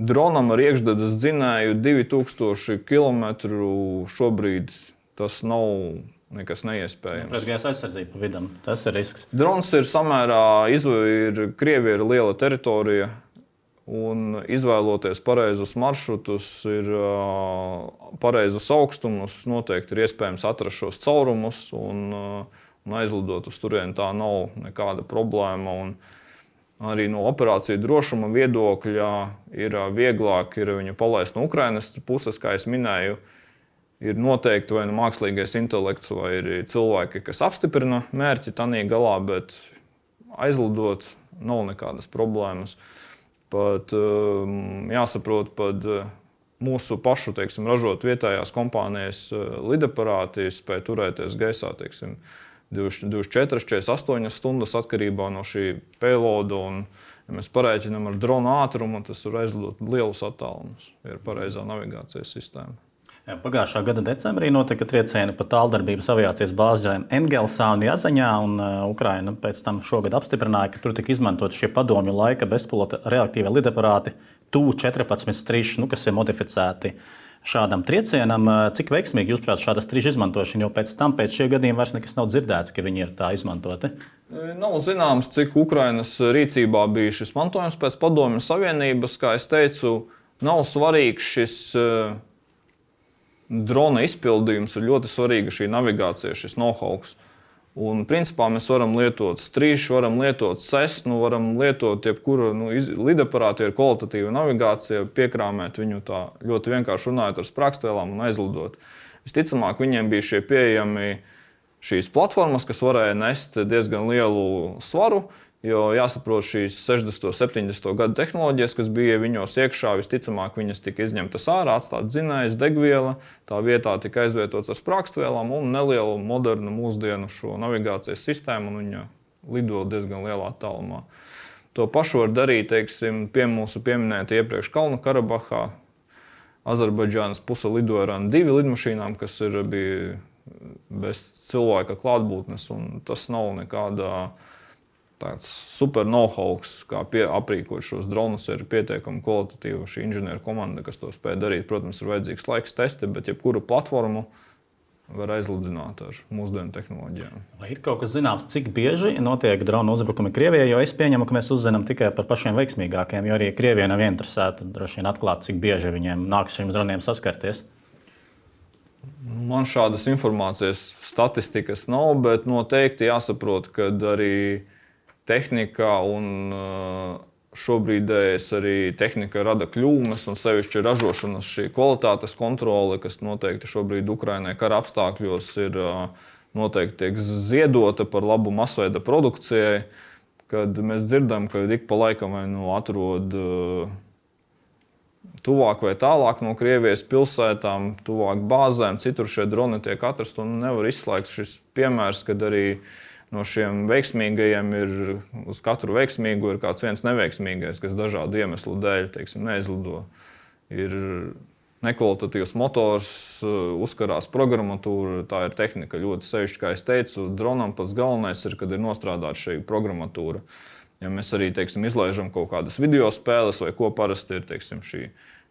dronam ar iekšzemes dzinēju divi tūkstoši kilometru šobrīd tas nav nekas neiespējams. Pretgaisa aizsardzība pa vidam, tas ir risks. Drons ir samērā, ir Krievija ir liela teritorija, un izvēloties pareizus maršrutus, ir pareizus augstumus, noteikti ir iespējams atrast šos caurumus un, un aizlidot uz turieni. Tā nav nekāda problēma. Un arī no operāciju drošuma viedokļa ir vieglāk ir viņu palaist no Ukrainas puses, kā es minēju. Ir noteikti vai nu mākslīgais intelekts, vai ir cilvēki, kas apstiprina mērķi tanī galā, bet aizlidot nav nekādas problēmas. Pat jāsaprot, pat mūsu pašu, teiksim, ražot vietējās kompānijas lidaparāti spēj turēties gaisā, teiksim, divdesmit četras, četrdesmit astoņas stundas atkarībā no šī payloada. Un, ja mēs parēķinām ar drona ātrumu, tas var aizlidot lielus attālumus, ja ir pareizā navigācijas sistēma. Jā, pagājušā gada decembrī notika triecieni pa tāldarbības aviācijas bāzēm Engelsā un Jazaņā, un uh, Ukraina pēc tam šogad apstiprināja, ka tur tika izmantot šie padomju laika bezpilota reaktīvie lidaparāti T U četrpadsmit striži, nu, kas ir modificēti šādam triecienam. Cik veiksmīgi jūs prāt šāda striža izmantošana, jo pēc tam, pēc šie gadiem vairs nekas nav dzirdēts, ka viņi ir tā izmantoti? Nav zināms, cik Ukrainas rīcībā bija šis mantojums pēc padomju savienības. Kā es teicu, nav svarīgs šis uh, drona izpildījums, ir ļoti svarīga šī navigācija, šis know-how. Un, principā, mēs varam lietot strīšu, varam lietot sesnu, varam lietot jebkuru nu, lidaparātu ar kvalitatīvu navigāciju, piekrāmēt viņu tā ļoti vienkārši runājot ar sprākstvēlām un aizlidot. Visticamāk, viņiem bija šie pieejami šīs platformas, kas varēja nest diezgan lielu svaru. Jo jāsaprot, šīs sešdesmito, septiņdesmito gadu tehnoloģijas, kas bija viņos iekšā, visticamāk viņas tika izņemtas ārā, atstāta dzinējs, degviela, tā vietā tika aizvietots ar sprākstvielām un nelielu modernu mūsdienu šo navigācijas sistēmu, un viņa lido diezgan lielā attālumā. To pašu var darīt, teiksim, pie mūsu pieminēta iepriekš Kalnu Karabahā. Azerbaidžānas puse lidoja ar divi lidmašīnām, kas ir, bija bez cilvēka klātbūtnes, un tas nav nekādā tāds super know-how, kā pie, aprīkot šos dronus, ir pietiekami kvalitatīva šī inženieru komanda, kas to spēj darīt. Protams, ir vajadzīgs laiks testi, bet jebkuru platformu var aizlidināt ar mūsdienu tehnoloģijām. Vai ir kaut kas zināms, cik bieži notiek dronu uzbrukumi Krievijai? Jo es pieņemu, ka mēs uzzinām tikai par pašiem veiksmīgākiem, jo arī Krievija nav interesēta droši vien atklāt, cik bieži viņiem nāks šiem droniem saskarties. Man šādas informācijas statistikas nav, bet noteikti jāsaprot, ka arī tehnika un šobrīdējais arī tehnika rada kļūmes un sevišķi ražošanas šī kvalitātes kontrole, kas noteikti šobrīd Ukrainai kara apstākļos ir noteikti tiek ziedota par labu masveida produkcijai, kad mēs dzirdam, ka ik pa laikam vai nu atrod tuvāk vai tālāk no Krievijas pilsētām, tuvāk bāzēm, citur šie droni tiek atrasti un nevar izslēgt šis piemērs, kad arī no šiem veiksmīgajiem ir, uz katru veiksmīgu ir kāds viens neveiksmīgais, kas dažādu iemeslu dēļ, teiksim, neizlido. Ir nekvalitatīvs motors, uzkarās programmatūra, tā ir tehnika ļoti sevišķi, kā es teicu, dronam pats galvenais ir, kad ir nostrādāta šī programmatūra. Ja mēs arī, teiksim, izlaižam kaut kādas video spēles vai ko parasti ir, teiksim, šī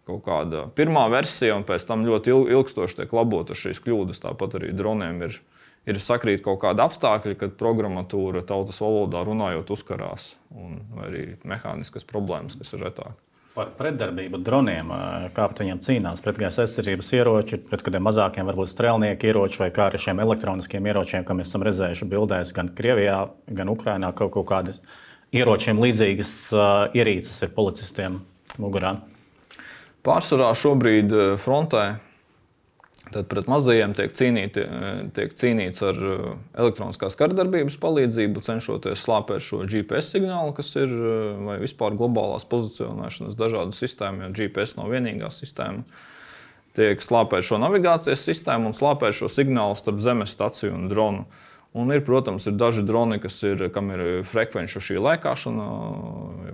kaut kāda pirmā versija un pēc tam ļoti ilgstoši tiek labota šīs kļūdas, tāpat arī droniem ir Ir sakrīt kaut kādi apstākļi, kad programmatūra tautas valodā runājot uzkarās, un vai arī mehāniskas problēmas, kas ir retāk. Par pretdarbību droniem, kā pret viņiem cīnās, pretgaisa aizsardzības ieroči, pret kādiem mazākiem varbūt strēlnieku ieroči vai kā ar šiem elektroniskiem ieročiem, kā mēs esam redzējuši bildēs gan Krievijā, gan Ukrainā, kaut, kaut kādas ieročiem līdzīgas ierīces ir policistiem mugurā. Pārsvarā šobrīd frontē tad pret mazajiem tiek, cīnīti, tiek cīnīts ar elektroniskās karadarbības palīdzību, cenšoties slāpēt šo G P S signālu, kas ir vai vispār globālās pozicionēšanas dažādu sistēmu, jo G P S nav vienīgā sistēma. Tiek slāpēt šo navigācijas sistēmu un slāpēt šo signālu starp zemes staciju un dronu. Un ir, protams, ir daži droni, kas ir, kam ir frekvenču šī lēkāšana,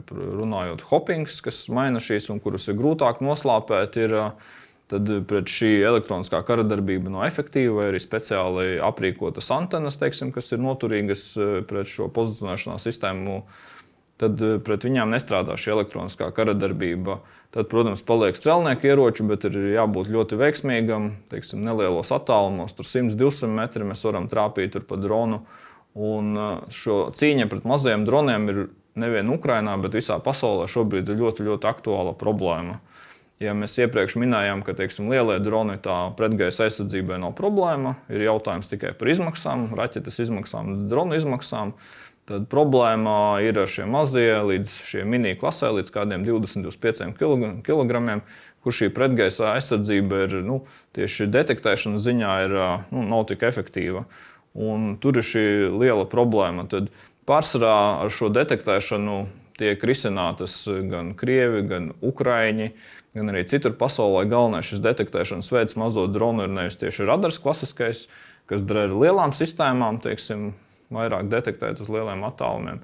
runājot hoppings, kas maina šīs un kurus ir grūtāk noslāpēt, ir tad pret šī elektroniskā karadarbība nav efektīva, vai arī speciāli aprīkotas antenas, teiksim, kas ir noturīgas pret šo pozicionēšanās sistēmu, tad pret viņām nestrādā šī elektroniskā karadarbība. Tad, protams, paliek strelnieku ieroči, bet ir jābūt ļoti veiksmīgam, teiksim, nelielos attālumos, tur simt divsimt metri mēs varam trāpīt tur pa dronu. Un šo cīņa pret mazajiem droniem ir nevien Ukrainā, bet visā pasaulē šobrīd ir ļoti, ļoti aktuāla problēma. Ja mēs iepriekš minējām, ka, teiksim, lielie droni tā pretgaisa aizsardzībai nav problēma, ir jautājums tikai par izmaksām, raķetes izmaksām, dronu izmaksām, tad problēma ir ar šiem mazie līdz šiem mini klasē, līdz kādiem divdesmit līdz pieciem kilogramiem, kur šī pretgaisa aizsardzība ir, nu, tieši detektēšanas ziņā ir, nu, nav tik efektīva. Un tur ir šī liela problēma. Tad pārsvarā ar šo detektēšanu tiek risinātas gan Krievi, gan Ukraiņi, gan arī citur pasaulē. Galvenais šis detektēšanas veids mazo dronu ir nevis tieši radars klasiskais, kas der ar lielām sistēmām, teiksim, vairāk detektēt uz lieliem attālumiem.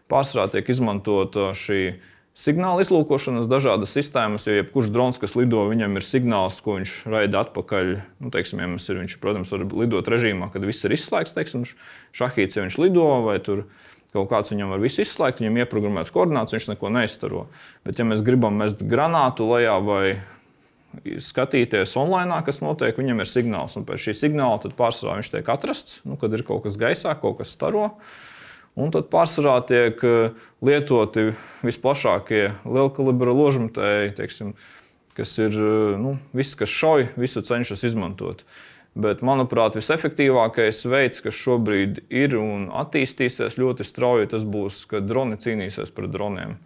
Pārsvarā tiek izmantot šī signāla izlūkošanas dažādas sistēmas, jo jebkurš drons, kas lido, viņam ir signāls, ko viņš raida atpakaļ. Nu, teiksim, ja ir, viņš, protams, var lidot režīmā, kad viss ir izslēgts, teiksim, šahīts, ja viņš lido, vai tur kaut kāds viņam var visu izslēgt, viņam ieprogrammēts koordināts, viņš neko neizstaro. Bet ja mēs gribam mest granātu lejā vai skatīties online, kas notiek, viņam ir signāls. Un pēc šī signāla tad pārsvarā viņš tiek atrasts, nu, kad ir kaut kas gaisā, kaut kas staro. Un tad pārsvarā tiek lietoti visplašākie lielkalibra ložmetēji, teiksim, kas ir, nu, viss, kas šauj, visu cenšas izmantot. Bet, manuprāt, visefektīvākais veids, kas šobrīd ir un attīstīsies ļoti strauji, tas būs, kad droni cīnīsies pret droniem.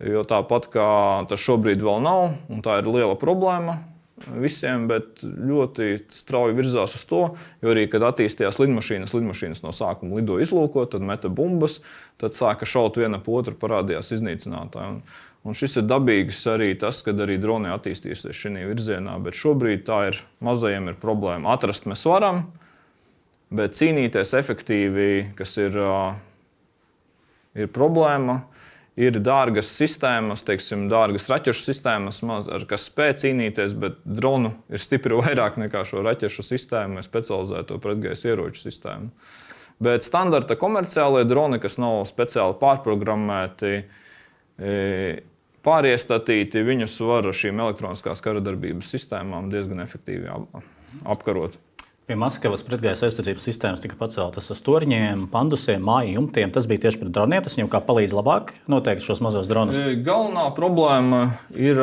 Jo tāpat kā tas šobrīd vēl nav, un tā ir liela problēma, visiem, bet ļoti strauji virzās uz to, jo arī, kad attīstījās lidmašīnas, lidmašīnas no sākuma lido izlūkot, tad meta bumbas, tad sāka šaut viena pa otru, parādījās iznīcinātāji. Un, un šis ir dabīgs arī tas, kad arī droni attīstīsies šī virzienā, bet šobrīd tā ir, mazajiem ir problēma. Atrast mēs varam, bet cīnīties efektīvi, kas ir, ir problēma, ir dārgas sistēmas, teiksim, dārgas raķešu sistēmas, ar kas spēj cīnīties, bet dronu ir stipri vairāk nekā šo raķešu sistēmu vai specializēto pretgaisa ieroču sistēmu. Bet standarta komerciālie droni, kas nav speciāli pārprogrammēti, pāriestatīti, viņus var ar šīm elektroniskās karadarbības sistēmām diezgan efektīvi apkarot. Pie Maskavas pretgaisa aizsardzības sistēmas tika paceltas uz torņiem, pandusiem, māju jumtiem. Tas bija tieši pret droniem. Tas viņam kā palīdz labāk noteikt šos mazos dronus? Galvenā problēma ir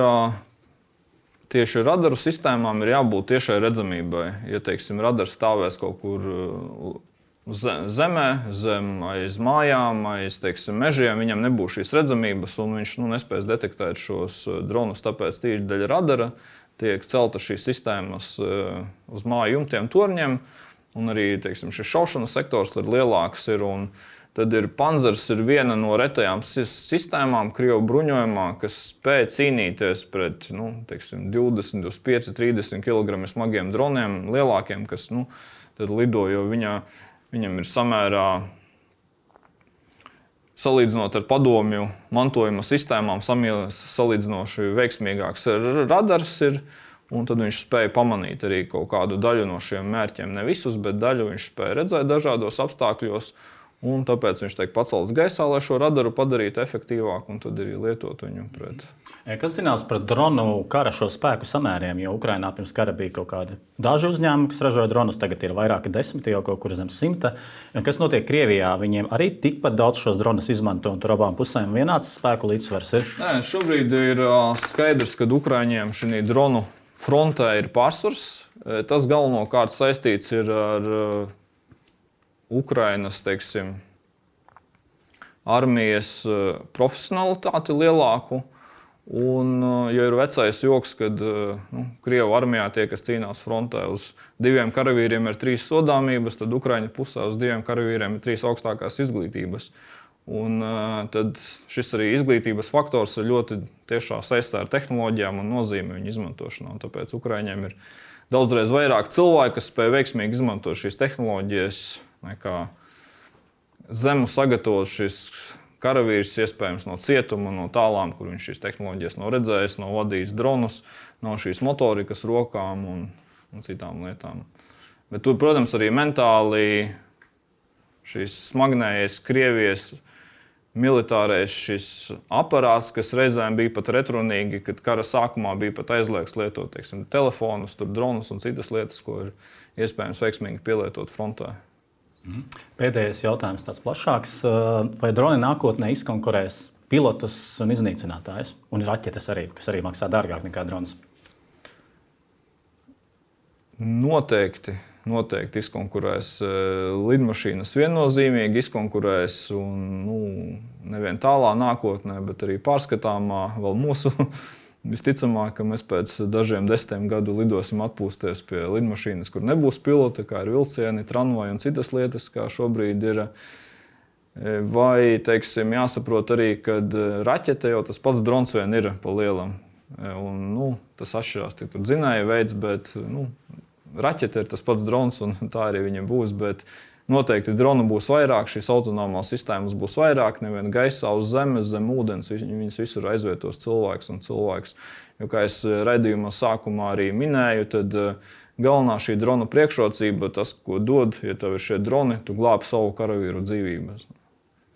tieši radaru sistēmām ir jābūt tiešai redzamībai. Ja, teiksim, radars stāvēs kaut kur zemē, zem aiz mājām, aiz, teiksim, mežiem, viņam nebūs šīs redzamības un viņš nu, nespēs detektēt šos dronus, tāpēc tīši daļa radara tiek celta šīs sistēmas uz māju jumtiem, torņiem, un arī, teiksim, šis šaušanas sektors ir lielāks. Ir, un tad ir Panzers ir viena no retajām sistēmām Krievu bruņojumā, kas spēj cīnīties pret nu, teiksim, divdesmit, divdesmit pieci, trīsdesmit kilogramu smagiem droniem, lielākiem, kas nu, tad lido, jo viņa, viņam ir samērā, salīdzinot ar padomju mantojuma sistēmām, salīdzinoši veiksmīgāks radars ir, un tad viņš spēja pamanīt arī kaut kādu daļu no šiem mērķiem. Ne visus, bet daļu viņš spēja redzēt dažādos apstākļos, un tāpēc viņš tiek pacelts gaisā, lai šo radaru padarītu efektīvāku, un tad arī lietot viņu pret. Kas zināms par dronu kara šo spēku samēriem, jo Ukrainā pirms kara bija kaut kādi daži uzņēmumi, kas ražoja dronus, tagad ir vairāki desmiti, jau kaut kur zem simta. Kas notiek Krievijā? Viņiem arī tikpat daudz šos dronus izmanto, un tur abām pusēm vienāds spēku līdzsvars ir? Nē, šobrīd ir skaidrs, ka Ukraiņiem šī dronu frontē ir pārsvars. Tas galvenokārt saistīts ir ar Ukrainas, teiksim, armijas profesionalitāti lielāku. Un, ja ir vecais joks, kad nu, Krievu armijā tie, kas cīnās frontē, uz diviem karavīriem ir trīs sodāmības, tad Ukraiņu pusē uz diviem karavīriem ir trīs augstākās izglītības. Un, tad šis arī izglītības faktors ir ļoti tiešā saistā ar tehnoloģijām un nozīmi viņu izmantošanā. Un tāpēc Ukraiņiem ir daudzreiz vairāk cilvēku, kas spēj veiksmīgi izmantot šīs tehnoloģijas, nekā zemu sagatavot šis karavīrs, iespējams no cietuma, no tālām, kur viņš šīs tehnoloģijas nav redzējis, nav vadījis dronus, nav šīs motorikas rokām un, un citām lietām. Bet tur, protams, arī mentāli šis smagnējais Krievijas militārais šis aparāts, kas reizēm bija pat retrunīgi, kad kara sākumā bija pat aizliegts lietot, teiksim, telefonus, tur dronus un citas lietas, ko ir iespējams veiksmīgi pielietot frontē. Pēdējais jautājums tāds plašāks. Vai droni nākotnē izkonkurēs pilotus un iznīcinātājus? Un raķetes arī, kas arī maksā dārgāk nekā drons? Noteikti. Noteikti izkonkurēs lidmašīnas viennozīmīgi, izkonkurēs un nu, nevien tālā nākotnē, bet arī pārskatāmā vēl mūsu. Visticamāk, ka mēs pēc dažiem desmitiem gadu lidosim atpūsties pie lidmašīnas, kur nebūs pilota, kā ir vilcieni, tramvaji un citas lietas, kā šobrīd ir. Vai, teiksim, jāsaprot arī, ka raķete jau tas pats drons vien ir pa lielam. Un, nu, tas atšķirās tik tur dzinēja veids, bet nu, raķete ir tas pats drons un tā arī viņam būs, bet noteikti dronu būs vairāk, šīs autonomās sistēmas būs vairāk, nevien gaisā, uz zemes, zem ūdens, viņas visur aizvietos cilvēks un cilvēks. Jo, kā es raidījumā sākumā arī minēju, tad galvenā šī drona priekšrocība, tas, ko dod, ja tev ir šie droni, tu glābi savu karavīru dzīvības.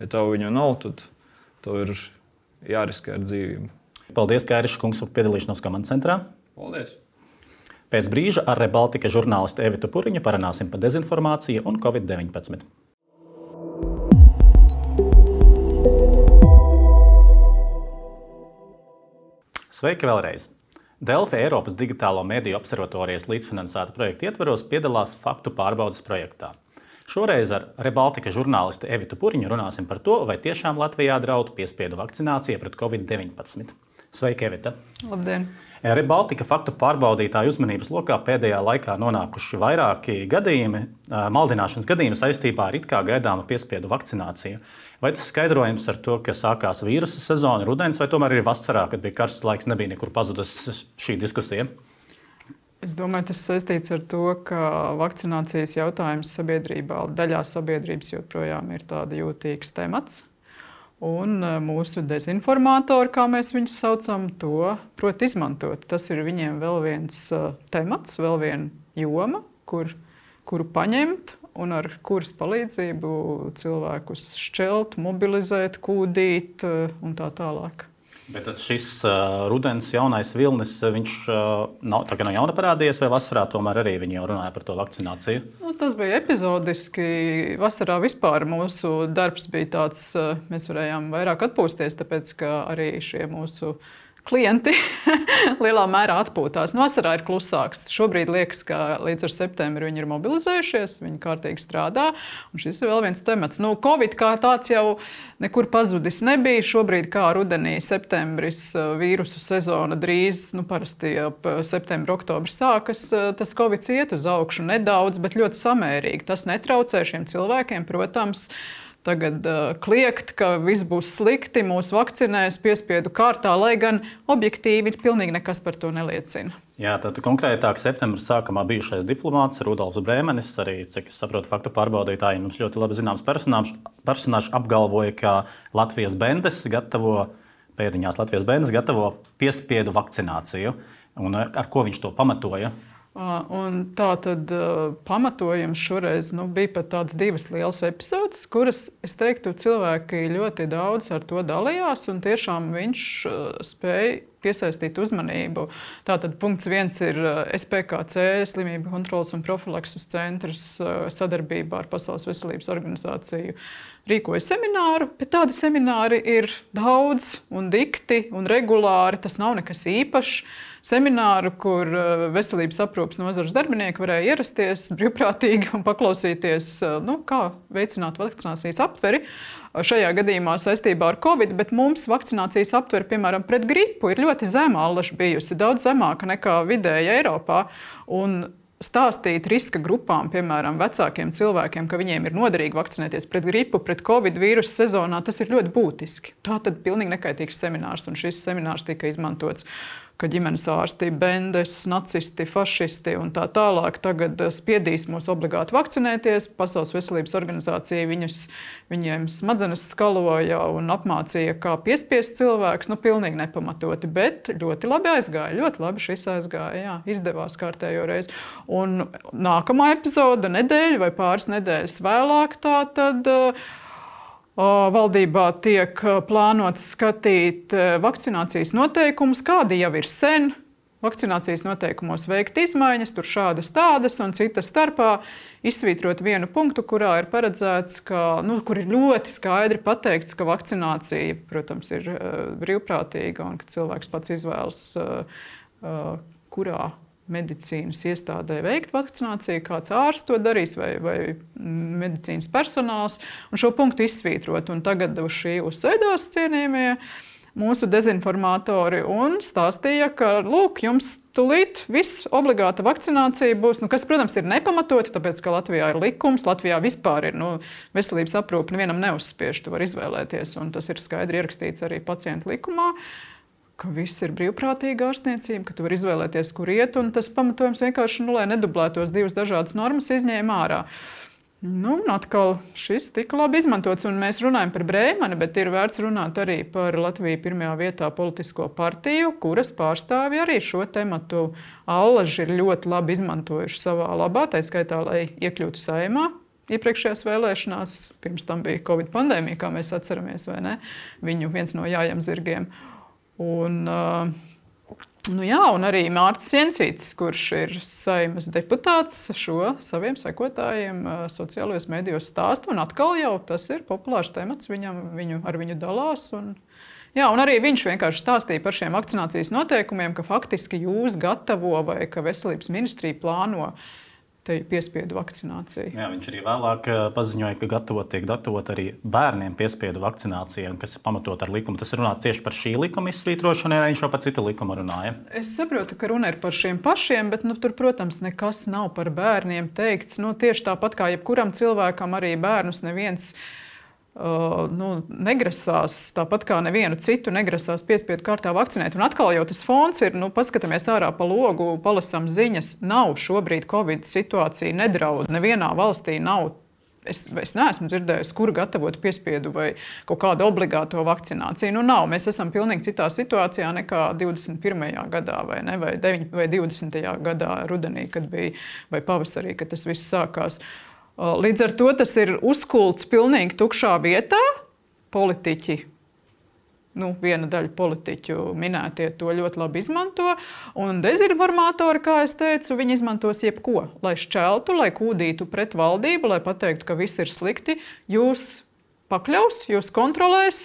Ja tev viņu nav, tad tev ir jāriskē ar dzīvību. Paldies, Kairiša kungs, par piedalīšanos komandas centrā. Paldies! Pēc brīža ar Rebaltika žurnālistu Evitu Puriņu parunāsim par dezinformāciju un covid deviņpadsmit. Sveiki vēlreiz! Delfi Eiropas digitālo mediju observatorijas līdzfinansēta projekta ietvaros piedalās faktu pārbaudes projektā. Šoreiz ar Rebaltika žurnālistu Evitu Puriņu runāsim par to, vai tiešām Latvijā draudu piespiedu vakcinācija pret covid deviņpadsmit. Sveiki, Evita! Labdien! Rail Baltica faktu pārbaudītāju uzmanības lokā pēdējā laikā nonākuši vairāki gadījumi, maldināšanas gadījumi saistībā ar it kā gaidāmu piespiedu vakcināciju. Vai tas skaidrojums ar to, ka sākās vīrusa sezona, rudens, vai tomēr arī vasarā, kad bija karsts laiks, nebija nekur pazudusi šī diskusija? Es domāju, tas saistīts ar to, ka vakcinācijas jautājums sabiedrībā, daļā sabiedrības joprojām ir tāda jūtīgs temats. Un mūsu dezinformātori, kā mēs viņus saucam, to prot izmantot. Tas ir viņiem vēl viens temats, vēl viena joma, kur, kuru paņemt un ar kuras palīdzību cilvēkus šķelt, mobilizēt, kūdīt un tā tālāk. Bet tad šis uh, rudens jaunais vilnis, viņš uh, nav, tā kā nav jauna parādījies, vai vasarā tomēr arī viņi jau runāja par to vakcināciju? Nu, tas bija epizodiski. Vasarā vispār mūsu darbs bija tāds, mēs varējām vairāk atpūsties, tāpēc ka arī šie mūsu klienti lielā mērā atpūtās. Nu, vasarā ir klusāks. Šobrīd liekas, ka līdz ar septembri viņi ir mobilizējušies, viņi kārtīgi strādā. Un šis ir vēl viens temats. Nu, Covid kā tāds jau nekur pazudis nebija. Šobrīd kā rudenī, septembris, vīrusu sezona drīz, nu, parasti ap septembra, oktobra sākas, tas Covid iet uz augšu nedaudz, bet ļoti samērīgi. Tas netraucē šiem cilvēkiem, protams, tagad uh, kliegt, ka viss būs slikti, mūs vakcinēs piespiedu kārtā, lai gan objektīvi pilnīgi nekas par to neliecina. Jā, tad konkrētāk septembra sākumā bijušais diplomāts Rudolfs Brēmenis, arī, cik es saprotu, faktu pārbaudītāji, mums ļoti labi zināms personāžs, personāžs apgalvoja, ka Latvijas bendes gatavo, pēdiņās Latvijas bendes gatavo piespiedu vakcināciju. Un ar ko viņš to pamatoja? Un tā tad pamatojums šoreiz nu, bija pat tāds divas lielas epizodes, kuras, es teiktu, cilvēki ļoti daudz ar to dalījās, un tiešām viņš spēja piesaistīt uzmanību. Tātad punkts viens ir S P K C, Slimību kontroles un profilakses centrs, sadarbībā ar Pasaules veselības organizāciju rīkoja semināru, bet tādi semināri ir daudz un dikti un regulāri, tas nav nekas īpašs. Semināru, kur veselības aprūpes nozares darbinieki varēja ierasties brīvprātīgi un paklausīties, nu, kā veicināt vakcinācijas aptveri. Šajā gadījumā saistībā ar Covid, bet mums vakcinācijas aptveri, piemēram, pret gripu ir ļoti zema allaž bijusi, daudz zemāka nekā vidēja Eiropā. Un stāstīt riska grupām, piemēram, vecākiem cilvēkiem, ka viņiem ir noderīgi vakcinēties pret gripu, pret Covid vīrusu sezonā, tas ir ļoti būtiski. Tā tad pilnīgi nekaitīgs seminārs, un šis seminārs tika izmantots, ka ģimenes ārsti, bendes, nacisti, fašisti un tā tālāk tagad spiedīs mūs obligāti vakcinēties. Pasaules veselības organizācija viņus, viņiem smadzenes skaloja un apmācīja, kā piespiest cilvēkus. Nu, pilnīgi nepamatoti, bet ļoti labi aizgāja. Ļoti labi šis aizgāja, jā, izdevās kārtējo reizi. Un nākamā epizode, nedēļa vai pāris nedēļas vēlāk, tā tad valdībā tiek plānots skatīt vakcinācijas noteikumus, kādi jau ir sen. Vakcinācijas noteikumos veikt izmaiņas, tur šādas tādas un citas starpā izsvītrot vienu punktu, kurā ir paredzēts, ka, nu, kur ir ļoti skaidri pateikts, ka vakcinācija, protams, ir brīvprātīga un ka cilvēks pats izvēlas, kurā medicīnas iestādē veikt vakcināciju, kāds ārsts to darīs vai, vai medicīnas personāls, un šo punktu izsvītrot. Un tagad uz šī uzsēdās cienījamie mūsu dezinformatori un stāstīja, ka, lūk, jums tūlīt viss obligāta vakcinācija būs, nu, kas, protams, ir nepamatoti, tāpēc, ka Latvijā ir likums, Latvijā vispār ir, nu, veselības aprūpe nevienam neuzspiež, tu var izvēlēties, un tas ir skaidri ierakstīts arī pacientu likumā, ka viss ir brīvprātīga ārstniecība, ka tu vari izvēlēties, kur iet, un tas pamatojums vienkārši, nu, lai nedublētos divas dažādas normas, izņēma ārā. Nu, un atkal šis tika labi izmantots, un mēs runājam par Brēmani, bet ir vērts runāt arī par Latviju pirmajā vietā politisko partiju, kuras pārstāvi arī šo tematu allaži ir ļoti labi izmantojuši savā labā, tā skaitā, lai iekļūtu Saeimā. Iepriekšējās vēlēšanās, pirms tam bija Covid pandēmija, kā mēs atceramies, vai ne? Viņu viens no jājām zirgiem. Un, nu jā, un arī Mārcis Jensītis, kurš ir Saeimas deputāts, šo saviem sekotājiem sociālajos medijos stāsta, un atkal jau tas ir populārs temats, viņam, viņu, ar viņu dalās. Un, jā, un arī viņš vienkārši stāstīja par šiem vakcinācijas noteikumiem, ka faktiski jūs gatavo vai ka veselības ministrija plāno te piespiedu vakcināciju. Jā, viņš arī vēlāk paziņoja, ka gatavot, tiek gatavot arī bērniem piespiedu vakcinācija, kas ir pamatot ar likumu. Tas ir runāts tieši par šī likuma izsvītrošanu, vai viņš jau par citu likumu runāja? Es saprotu, ka runa ir par šiem pašiem, bet nu, tur, protams, nekas nav par bērniem teikts. Nu, tieši tāpat kā jebkuram cilvēkam, arī bērnus neviens uh, nu, negrasās, tāpat kā nevienu citu negrasās piespiedu kārtā vakcinēt. Un atkal jau tas fons ir, nu, paskatāmies ārā pa logu, palasam ziņas, nav šobrīd Covid situācija, nedraud, nevienā valstī nav. Es, es neesmu dzirdējis, kur gatavot piespiedu vai kaut kādu obligāto vakcināciju. Nu, nav. Mēs esam pilnīgi citā situācijā nekā divdesmit pirmajā gadā vai, ne, vai, deviņ, vai divdesmitajā gadā rudenī, kad bija, vai pavasarī, kad tas viss sākās. Līdz ar to tas ir uzkults pilnīgi tukšā vietā. Politiķi, nu, viena daļa politiķu minētie to ļoti labi izmanto. Un dezinformatori, kā es teicu, viņi izmantos jebko, lai šķeltu, lai kūdītu pret valdību, lai pateiktu, ka viss ir slikti. Jūs pakļaus, jūs kontrolēs,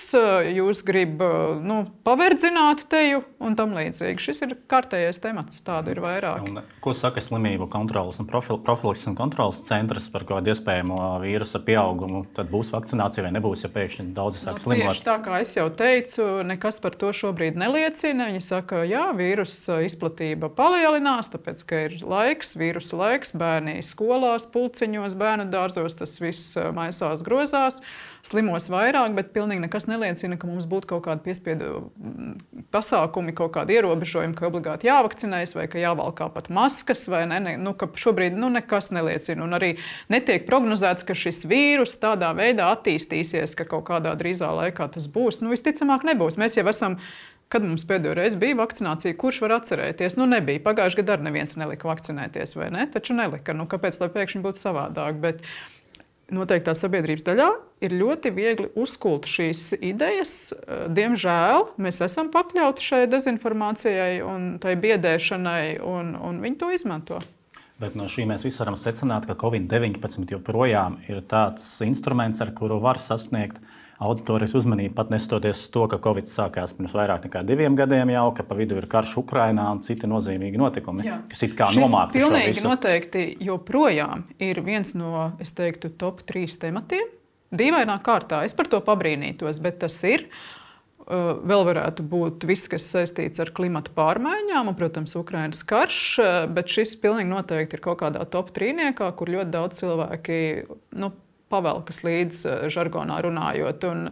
jūs grib nu, paverdzināt teju un tam līdzīgi. Šis ir kārtējais temats, tādu ir vairāk. Un, ko saka slimību kontrolas un profilakses un kontrolas centrs par kādu iespējamo vīrusa pieaugumu? Tad būs vakcinācija vai nebūs, ja pēkšņi daudzi sāk nu, slimot? Tieši tā, kā es jau teicu, nekas par to šobrīd neliecina. Viņi saka, jā, vīrusa izplatība palielinās, tāpēc, ka ir laiks, vīrusa laiks, bērni skolās, pulciņos, bērnu dārzos, tas viss maisās, grozās. Slimos vairāk, bet pilnīgi nekas neliecina, ka mums būtu kaut kādi piespiedu pasākumi, kaut kādi ierobežojumi, ka obligāti jāvakcinējas vai ka jāvalkā pat maskas, vai ne, ne, nu, ka šobrīd nu, nekas neliecina. Un arī netiek prognozēts, ka šis vīrus tādā veidā attīstīsies, ka kaut kādā drīzā laikā tas būs. Nu, visticamāk nebūs. Mēs jau esam, kad mums pēdējo reizi bija vakcinācija, kurš var atcerēties? Nu, nebija. Pagājušajā gadā neviens nelika vakcinēties, vai ne? Taču nelika. Nu, kāpēc, lai pēkšņi būtu savādāk? Bet noteiktā sabiedrības daļā ir ļoti viegli uzkult šīs idejas. Diemžēl mēs esam pakļauti šai dezinformācijai un tai biedēšanai, un, un viņi to izmanto. Bet no šī mēs visi varam secināt, ka Covid deviņpadsmit joprojām ir tāds instruments, ar kuru var sasniegt auditorijas uzmanību, pat nestoties to, ka Covid sākās pirms vairāk nekā diviem gadiem jau, ka pa vidu ir karš Ukrainā un citi nozīmīgi notikumi, Jā. Kas it kā nomāka šo visu. Šis pilnīgi noteikti joprojām ir viens no, es teiktu, top trīs tematiem. Dīvainā kārtā, es par to pabrīnītos, bet tas ir. Vēl varētu būt viss, kas saistīts ar klimata pārmaiņām un, protams, Ukrainas karš, bet šis pilnīgi noteikti ir kaut kādā top trīniekā, kur ļoti daudz cilvēki, nu, pavelkas līdz žargonā runājot. Un,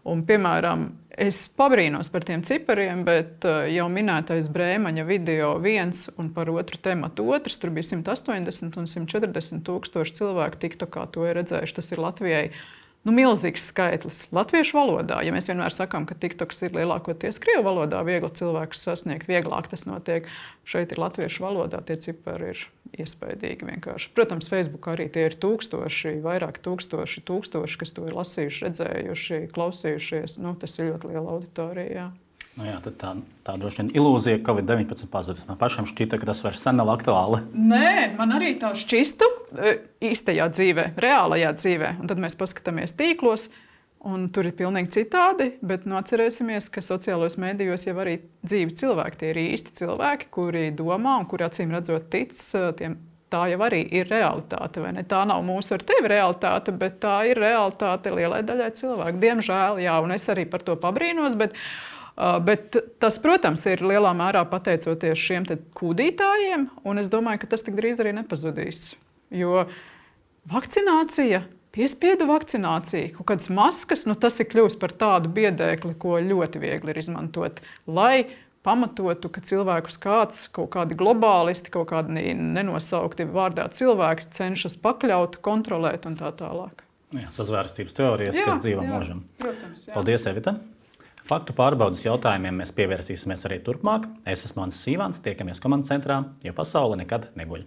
un, piemēram, es pabrīnos par tiem cipariem, bet jau minētais Brēmaņa video viens un par otru tematu otrs, tur bija simt astoņdesmit un simt četrdesmit tūkstoši cilvēku tiktokā to ir redzējuši. Tas ir Latvijai nu, milzīgs skaitlis latviešu valodā. Ja mēs vienmēr sakām, ka tiktoks ir lielākoties krievu valodā, viegli cilvēkus sasniegt, vieglāk tas notiek. Šeit ir latviešu valodā, tie cipari ir iespaidīgi vienkārši. Protams, Facebookā arī tie ir tūkstoši, vairāk tūkstoši, tūkstoši, kas to ir lasījuši, redzējuši, klausījušies. Nu, tas ir ļoti liela auditorija, jā. Nu jā, tad tā, tā droši vien ilūzija Covid deviņpadsmit pazudus. Man pašam šķita, ka tas vairs sen nav aktuāli. Nē, man arī tā šķistu īstajā dzīvē, reālajā dzīvē. Un tad mēs paskatāmies tīklos, un tur ir pilnīgi citādi, bet nu, atcerēsimies, ka sociālos mēdījos jau arī dzīvi cilvēki. Tie ir īsti cilvēki, kuri domā un kuri acīm redzot tic tiem. Tā jau arī ir realitāte, vai ne? Tā nav mūsu ar tevi realitāte, bet tā ir realitāte lielai daļai cilvēku. Diemžēl, jā, un es arī par to pabrīnos, bet, uh, bet tas, protams, ir lielā mērā pateicoties šiem te kūdītājiem, un es domāju, ka tas tik drīz arī nepazudīs. Jo vakcinācija, piespiedu vakcinācija, kaut kādas maskas, nu tas ir kļūst par tādu biedēkli, ko ļoti viegli ir izmantot, lai pamatotu, ka cilvēkus kāds, kaut kādi globālisti, kaut kādi nenosaukti vārdā cilvēki cenšas pakļaut, kontrolēt un tā tālāk. Jā, sazvērstības teorijas, jā, kas dzīvo mūžam. Protams, jā. Paldies, Evita. Faktu pārbaudas jautājumiem mēs pievērsīsimies arī turpmāk. Es esmu Mans Sīvans, tiekamies komandas centrā, jo pasaule nekad neguļ.